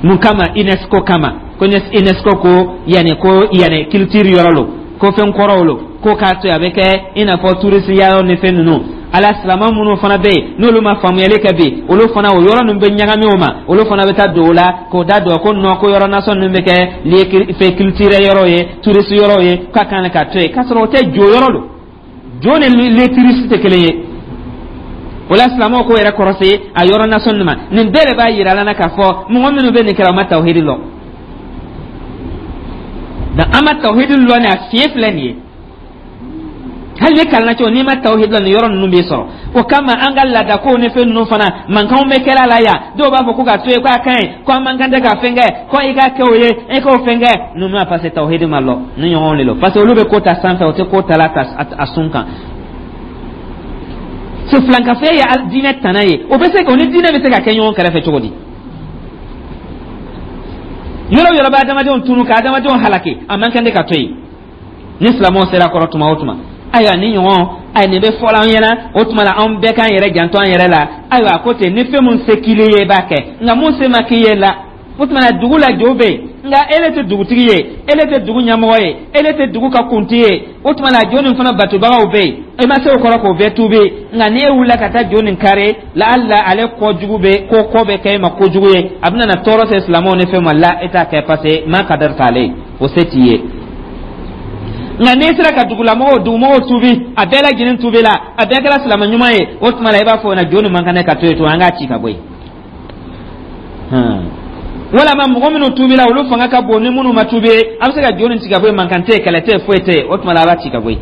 Mun kama? UNESCO kama, ko UNESCO ko yanni ko yanni culture yɔrɔ lo, ko fɛn kɔrɔw lo, ko k'a to yen, a bɛ kɛ i n'a fɔ touriste yɔrɔ ni fɛn ninnu. Ala silama minnu fana bɛ yen, n'olu ma faamuyali kɛ bi, olu fana o yɔrɔ ninnu bɛ ɲagami o ma, olu fana bɛ taa don o la k'o da don ko non, ko yɔrɔ nasɔn ninnu bɛ kɛ lieu fɛn culturel yɔrɔ ye, touriste yɔrɔ ye, k'a kan ka to yen, k'a sɔrɔ o tɛ, jo yɔrɔ don. Jo ni lieu touriste tɛ kelen ye. O la, silamɛw k'o yɛrɛ kɔrɔsi a yɔrɔ nasɔn ninnu ma. Nin bɛɛ de b'a yira la k'a fɔ mɔgɔ minnu bɛ nin kɛra, o ma tawhidi lɔn. Donc an ma tawhidi lɔn, ni a fiɲɛ filɛ nin ye. Hali ni kalanna cogo, n'i ma tawhidi lɔn, nin yɔrɔ ninnu b'i sɔrɔ. O kama, an ka laadakow ni fɛn ninnu fana, mankanw bɛ kɛra la yan. Dɔw b'a fɔ ko ka to yen, k'a ka ɲi, ko an man kan tɛ ka fɛn kɛ, ko i ka kɛ o ye, e k'o fɛn kɛ ninnu ma, parce que tawhidi ma lɔ ni ɲɔgɔnw de lɔ, parce que olu bɛ ko ta sanfɛ, o tɛ ko ta la a sun kan. So filankafoya ye diinɛ tana ye, o bɛ se o ni diinɛ bɛ se ka kɛ ɲɔgɔn kɛrɛfɛ cogo di? Yɔrɔ yɔrɔ bɛ adamadenw tunu ka adamadenw halaki, a man kan de ka to yen. Ni silamɛw sera kɔrɔ tuma o tuma, ayiwa, ni ɲɔgɔn ayi nin bɛ fɔla an ɲɛna, o tuma la anw bɛɛ k'an yɛrɛ janto an yɛrɛ la. Ayiwa, a ko ten, ni fɛn mun se k'i ye, i b'a kɛ, nka mun se ma k'i ye la, o tuma na dugu la jo bɛ yen, nka ele tɛ dugutigi ye, ele tɛ dugu ɲɛmɔgɔ ye, ele tɛ dugu ka kuntigi ye. O tuma na jo nin fana batobagaw bɛ yen, e ma se o kɔrɔ k'o bɛɛ tuubi, nka n'e wulila ka taa jo nin kari la, hali ale kɔjugu bɛ ko kɔ bɛ kɛ e ma kojugu ye, a bɛna na tɔɔrɔ se silamɛw ni fɛn ma la, e t'a kɛ, parce que ma kadari t'ale, o se t'i ye. Nka n'i sera ka dugulamɔgɔw, dugumɔgɔw tuubi, a bɛɛ lajɛlen tuubi la, a bɛɛ kɛra silamɛ ɲuman ye, o tuma la i b'a fɔ o na jo nin man kan ka to yen to, an k'a ci ka bɔ yen. Walama mɔgɔ minnu tuubila, olu fanga ka bon ni minnu ma tuubi, a bɛ se ka jo nin ci ka bɔ yen, mankan tɛ yen, kɛlɛ tɛ yen, foyi tɛ yen, o tuma la a b'a ci ka bɔ yen.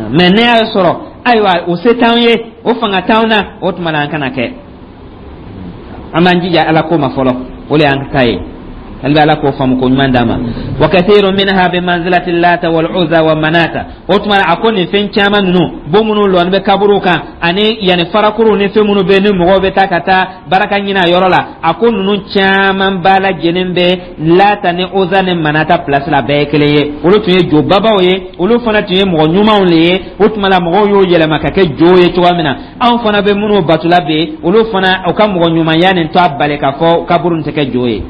Mɛ ne y'a sɔrɔ, ayiwa, o se t'anw ye, o fanga t'anw na, o tuma la an kana kɛ. An b'an jija Ala ko ma fɔlɔ, o de y'an ta ye. Hali bɛ Ala k'o faamu ko ɲuman d'a ma. Wa kathiru minha bi manzilati Lata wal Uza wa Manata. O tuma a ko nin fɛn caman ninnu, bon minnu lɔni bɛ kaburuw kan, ani yanni farakuruw ni fɛn minnu bɛ ni mɔgɔw bɛ taa ka taa baraka ɲini a yɔrɔ la, a ko ninnu caman b'a lajɛlen bɛ Lata ni Uza ni Manata place la, bɛɛ ye kelen ye. Olu tun ye jobabaw ye, olu fana tun ye mɔgɔ ɲumanw de ye. O tuma la mɔgɔw y'o yɛlɛma ka kɛ jo ye cogoya min na, anw fana bɛ minnu batula bi, olu fana u ka mɔgɔ ɲumanya nin to a bali k'a fɔ kaburu nin tɛ kɛ jo ye.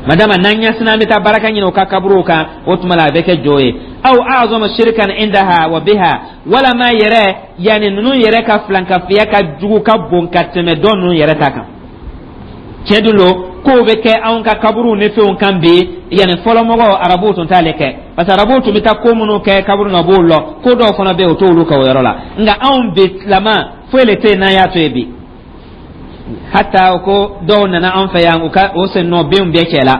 Madama n'an ɲɛsina an bɛ taa baraka ɲini u ka kaburuw kan, o tuma la a bɛ kɛ jo ye. Aw a'zamu shirkan indaha wa biha, walama yɛrɛ yanni ninnu yɛrɛ ka filankafiya ka jugu, ka bon ka tɛmɛ dɔ ninnu yɛrɛ ta kan. Tiɲɛ dun don, kow bɛ kɛ anw ka kaburuw ni fɛnw kan bi. Yanni fɔlɔmɔgɔw, arabuw tun t'ale kɛ, parce que arabuw tun bɛ taa ko minnu kɛ kaburu na, u b'o lɔ, ko dɔw fana bɛ yen, o t'olu kɛ o yɔrɔ la. Nka anw bi silama, foyi le tɛ yen n'an y'a to yen bi. Hata ko dɔw nana an fɛ yan, u ka o sen nɔ benw bɛɛ cɛ la,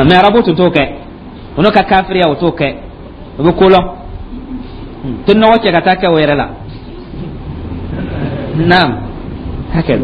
mɛ arabu tun t'o kɛ. O n'o ka kafiriya, o t'o kɛ, o bɛ ko lɔn, tɛ nɔgɔ cɛ ka taa kɛ o yɛrɛ la. Naam, hakɛ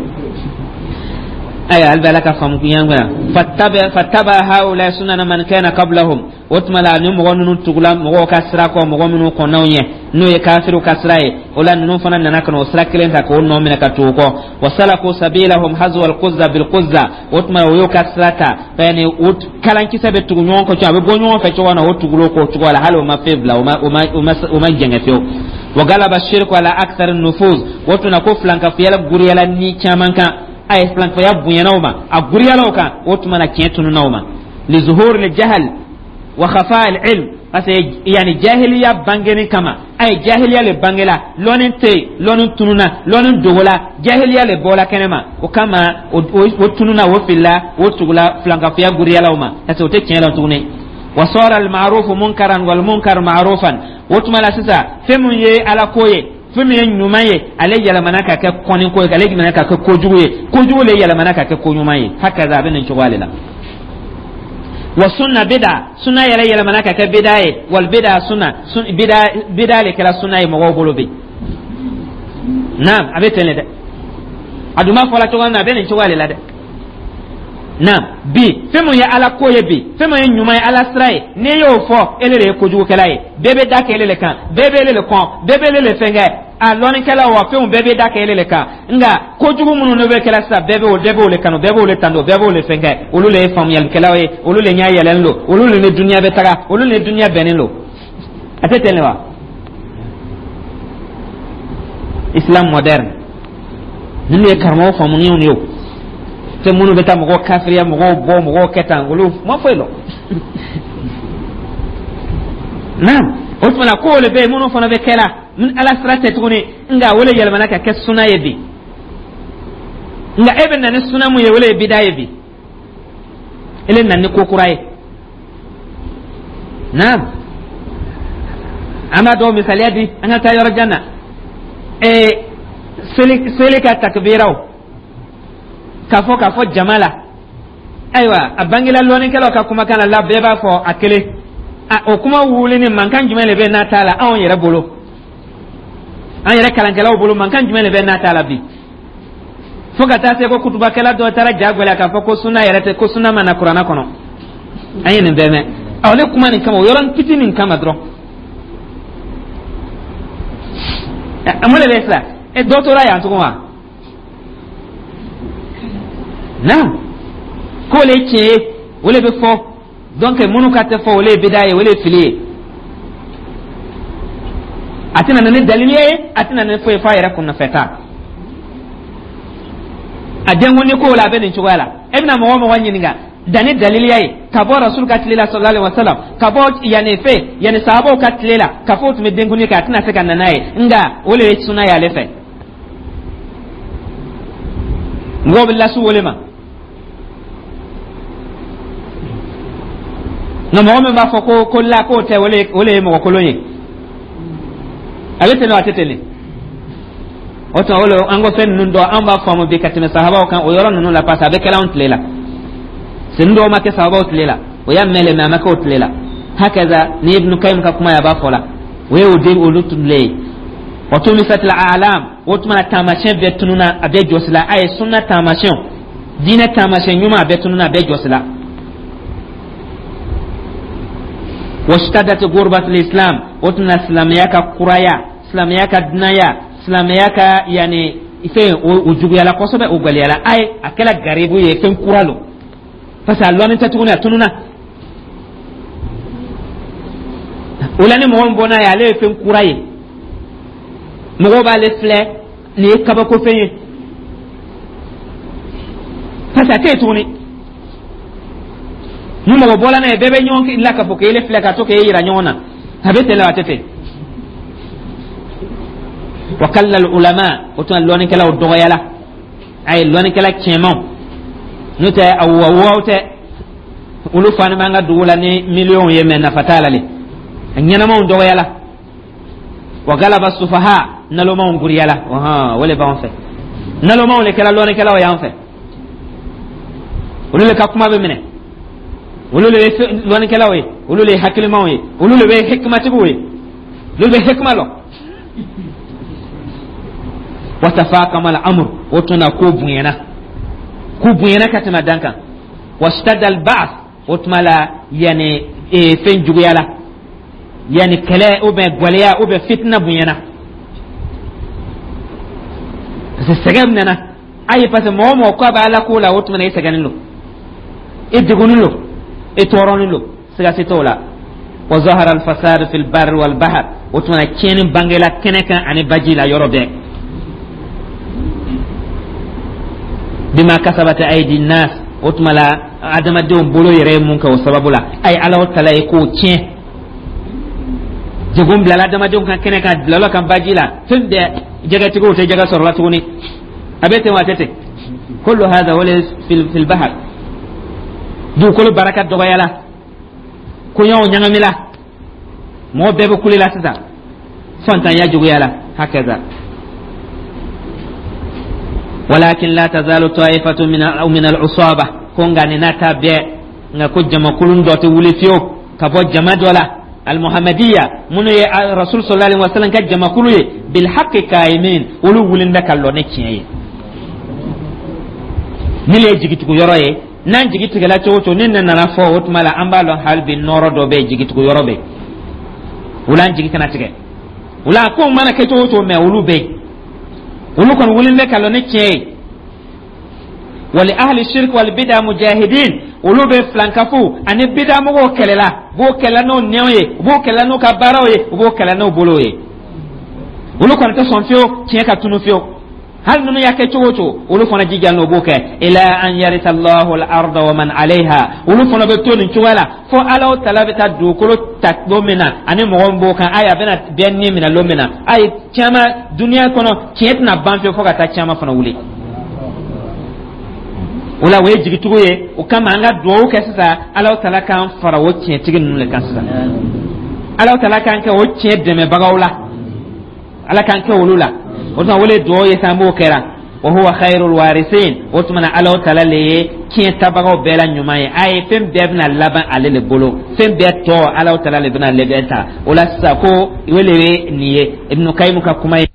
ayiwa, hali bɛ Ala ka faamu yan. Fattaba fattaba haula sunana man kana qablahum. O tuma la ni mɔgɔ ninnu tugula mɔgɔw ka sira kɔ, mɔgɔ minnu kɔnnaw ɲɛ, n'o ye kafiriw ka sira ye, o la ninnu fana nana ka na o sira kelen ta k'o nɔ minɛ ka tugu kɔ. Wa salaku sabilahum hazwa alquzza bilquzza. O tuma o y'o ka sira ta, yani o kalankisɛ bɛ tugu ɲɔgɔn kɔ cogo, a bɛ bɔ ɲɔgɔn fɛ cogo min na, o tugul'o kɔ cogo la, hali o ma fɛn bila, o ma o ma o ma o ma jɛngɛ fiyewu. Wa galaba shirku ala akthar nufuz. O tuma ko filankafoya guriyala ni caman kan, a ye filankafoya bonyana o ma, a guriyala o kan. O tuma na tiɲɛ tununa o ma, li zuhur li jahal wa khafa al ilm, parce que yani jahiliya bangeni kama, a ye jahiliya le bangela, lɔnni tɛ yen, lɔnni tununa, lɔnni dogola, jahiliya le bɔla kɛnɛma. O kama o tununa, o filila, o tugula filankafoya guriyala o ma, parce que o tɛ tiɲɛ la tuguni. Wa sara al ma'ruf munkaran wal munkar ma'rufan. O tuma la sisan, fɛn mun ye Ala ko ye, fɛn min ye ɲuman ye, ale yɛlɛmana ka kɛ kɔnni ko ye, ale yɛlɛmana ka kɛ kojugu ye, kojugu le yɛlɛmana ka kɛ ko ɲuman ye. Hakaza, a bɛ nin cogoya de la. Wa sunna bida, sunna yɛrɛ yɛlɛmana ka kɛ bida ye. Wal bida sunna, bida bida le kɛra sunna ye mɔgɔw bolo bi. Naam, a bɛ ten le dɛ. A dun b'a fɔla cogo min na, a bɛ nin cogoya de la dɛ. Naam, bi fɛn mun ye Ala ko ye, bi fɛn mun ye ɲuman ye, Ala sira ye, n'i y'o fɔ, ele de ye kojugukɛla ye. Bɛɛ bɛ da kɛ ele le kan, bɛɛ bɛ ele le kɔn, bɛɛ bɛ ele le fɛnkɛ. A lɔnnikɛlaw wa, fɛnw bɛɛ bɛ da kɛ ele le kan. Nka kojugu minnu n'o bɛ kɛra sisan, bɛɛ b'o bɛɛ b'o le kanu, bɛɛ b'o le tando, bɛɛ b'o le fɛnkɛ. Olu le ye faamuyalikɛlaw ye, olu le ɲɛ yɛlɛlen don, olu le ni duniya bɛ taga, olu le ni duniya bɛnnen don. A tɛ ten de wa? Islam moderne ninnu ye karamɔgɔ faamuniw ye. O fɛn minnu bɛ taa mɔgɔw kafiriya, mɔgɔw bɔ, mɔgɔw kɛ tan, olu ma foyi lɔn. Naam, o tuma na kow le bɛ yen minnu fana bɛ kɛ la Ala sira tɛ tuguni, nka o le yɛlɛmana ka kɛ suna ye bi. Nka e bɛ na ni suna mun ye, o le ye bida ye bi. E le na ni ko kura ye. Naam, an b'a dɔw misaliya di, an ka taa yɔrɔ jan na. Ee, seli seli ka takbiraw k'a fɔ k'a fɔ jama la, ayiwa, a bangela lɔnnikɛlaw ka kumakan na la, bɛɛ b'a fɔ a kelen. A o kuma wuli ni mankan jumɛn de bɛ n'a t'a la anw yɛrɛ bolo, an yɛrɛ kalankɛlaw bolo, mankan jumɛn de bɛ n'a t'a la bi, fo ka taa se ko kutubakɛla dɔ taara ja gwɛlɛya k'a fɔ ko suna yɛrɛ tɛ, ko suna ma na Kuranna kɔnɔ. An ye nin bɛɛ mɛn. Ɔ, ne kuma nin kama, o yɔrɔnin fitinin nin kama dɔrɔn, mun de bɛ sisan? E dɔ tora yan tugun wa? Naam, k'o le ye tiɲɛ ye, o le bɛ fɔ. Donc minnu ka tɛ fɔ, o le ye bida ye, o le ye fili ye. A tɛna na ni dalili ye, a tɛna na ni foyi f'a yɛrɛ kunnafɛta. A denkundi kow la, a bɛ nin cogoya la. E bɛna mɔgɔ o mɔgɔ ɲininka danni daliliya ye ka bɔ Rasul ka tile la, sallallahu alaihi wasallam, ka bɔ yanni fɛ yanni sahabaw ka tile la, ka fɔ o tun bɛ denkundi kɛ, a tɛna se ka na n'a ye. Nka o le ye suna ye ale fɛ. Mɔgɔw bɛ lasu wele ma, nka mɔgɔ min b'a fɔ ko ko la k'o tɛ, o le o le ye mɔgɔ kolon ye. A bɛ ten wa, a tɛ ten de? O tuma o le an ko fɛn ninnu dɔn, an b'a faamu bi ka tɛmɛ sahabaw kan o yɔrɔ ninnu la, parce que a bɛ kɛla anw tile la. Sen dɔw ma kɛ sahabaw tile la, o y'a mɛn le, mɛ a ma kɛ o tile la. Hakaza ni Ibnu Kayim ka kuma ye, a b'a fɔ la, o ye o den olu tile ye. Wa tumisat al-a'lam, o tuma na taamasiyɛn bɛɛ tununa, a bɛɛ jɔsila. A ye sunna taamasiyɛnw, diinɛ taamasiyɛn ɲuman, a bɛɛ tununa, a bɛɛ jɔsila. Washtadat gurbat al-islam, o tuma na silamɛya ka kuraya, silamɛya ka dunanya, silamɛya ka yani fɛn o juguyala kosɛbɛ, o gwɛlɛyala. A ye a kɛla garibu ye, fɛn kura lo, parce que a lɔnni tɛ tuguni, a tununa. O la ni mɔgɔ min bɔ n'a ye, ale ye fɛn kura ye, mɔgɔw b'ale filɛ nin ye kabako fɛn ye, parce que a tɛ yen tuguni. Ni mɔgɔ bɔla n'a ye, bɛɛ bɛ ɲɔgɔn la k'a fɔ k'e filɛ ka to k'e yira ɲɔgɔn na. A bɛ ten la, a tɛ ten? Wa kalla ulama, o tuma lɔnnikɛlaw dɔgɔyala. A ye lɔnnikɛla tiɲɛmaw, n'o tɛ a wawaw tɛ, olu fana b'an ka dugu la ni miliyɔnw ye, mɛ nafa t'a la le. A ɲɛnamaw dɔgɔyala. Wa galaba sufaha, nalomaw guriyala. Ɔhɔn, o le b'anw fɛ, nalomaw le kɛra lɔnnikɛlaw y'an fɛ, olu le ka kuma bɛ minɛ, olu le ye lɔnnikɛlaw ye, olu le ye hakilimaw ye, olu le bɛ hikimatigiw ye, olu bɛ hikima lɔn. Wa tafaqama al-amr, o tuma ko bonyana, ko bonyana ka tɛmɛ dan kan. Washtadda al-ba'th, o tuma la yani fɛn juguyala, yani kɛlɛ ou bien gwɛlɛya ou bien fitina bonyana, parce que sɛgɛn nana ayi, parce que mɔgɔ o mɔgɔ k'a bɛ Ala ko la, o tuma na i sɛgɛnnen don, i degunnen don, i tɔɔrɔnen don, siga si t'o la. Wa zahara al-fasad fil barri wal bahr, o tuma na tiɲɛni bangela kɛnɛ kan ani baji la yɔrɔ bɛɛ. Bima kasabat aydi nas, o tuma la adamadenw bolo yɛrɛ ye mun kɛ o sababu la, ayi, Ala tala ye k'o tiɲɛ. Degun bilala adamadenw kan kɛnɛ kan, bilala kan baji la, fɛn bɛɛ, jɛgɛtigiw tɛ jɛgɛ sɔrɔ la tuguni. A bɛ ten wa, a tɛ ten? Kullu hadha wala fil bahr, dugukolo baraka dɔgɔyala, koɲaw ɲagamila, mɔgɔ bɛɛ bɛ kule la sisan, fantanya juguyala. Hakaza walakin la tazalu taifatu min min al-usaba, ko nka nin n'a ta bɛɛ Nka ko jamakulun dɔ tɛ wuli fiyewu ka bɔ jama dɔ la, almuhammadiya, minnu ye Rasul sallallahu alaihi wasallam ka jamakulu ye, bilhaqi qaimin, olu wulilen bɛ ka lɔ ni tiɲɛ ye. Ni le ye jigitugu yɔrɔ ye, n'an jigi tigɛla cogo o cogo, ni nin nana fɔ, o tuma la an b'a lɔn hali bi nɔrɔ dɔ bɛ yen, jigitugu yɔrɔ bɛ yen. O la, an jigi kana tigɛ. O la, kow mana kɛ cogo o cogo, mɛ olu bɛ yen, olu kɔni wulilen bɛ ka lɔ ni tiɲɛ ye. Wali ahli shirk wal bid'a mujahidin, olu bɛ filankafu ani bid'a mɔgɔw kɛlɛla, u b'o kɛlɛ n'o nɛw ye, u b'o kɛlɛ n'u ka baaraw ye, u b'o kɛlɛ n'u bolow ye. Olu kɔni tɛ sɔn fiyewu tiɲɛ ka tunu fiyewu, hali ninnu y'a kɛ cogo o cogo. Olu fana jijalen, o b'o kɛ ila an yarisa Allahu al-arda wa man alayha. Olu fana bɛ to nin cogoya la fo Ala tala bɛ taa dugukolo ta don min na ani mɔgɔ min b'o kan. Ayi, a bɛna bɛɛ ni minɛ don min na. Ayi, caman duniya kɔnɔ, tiɲɛ tɛna ban fiyewu fo ka taa caman fana wuli. O la, o ye jigitugu ye. O kama, an ka dugawu kɛ sisan, Ala tala k'an fara o tiɲɛtigi ninnu de kan sisan. Ala tala k'an kɛ o tiɲɛ dɛmɛbagaw la, Ala k'an kɛ olu la. O tuma, o le dugawu ye sisan, an b'o kɛra. Wa huwa khairul warisin. O tuma na, Ala tala le ye tiɲɛ tabagaw bɛɛ la ɲuman ye. A ye fɛn bɛɛ bɛna laban ale le bolo, fɛn bɛɛ tɔ, Ala tala le bɛna lɛbɛn ta. O la sisan, ko o le ye nin ye Ibnu Kayimu ka kuma ye.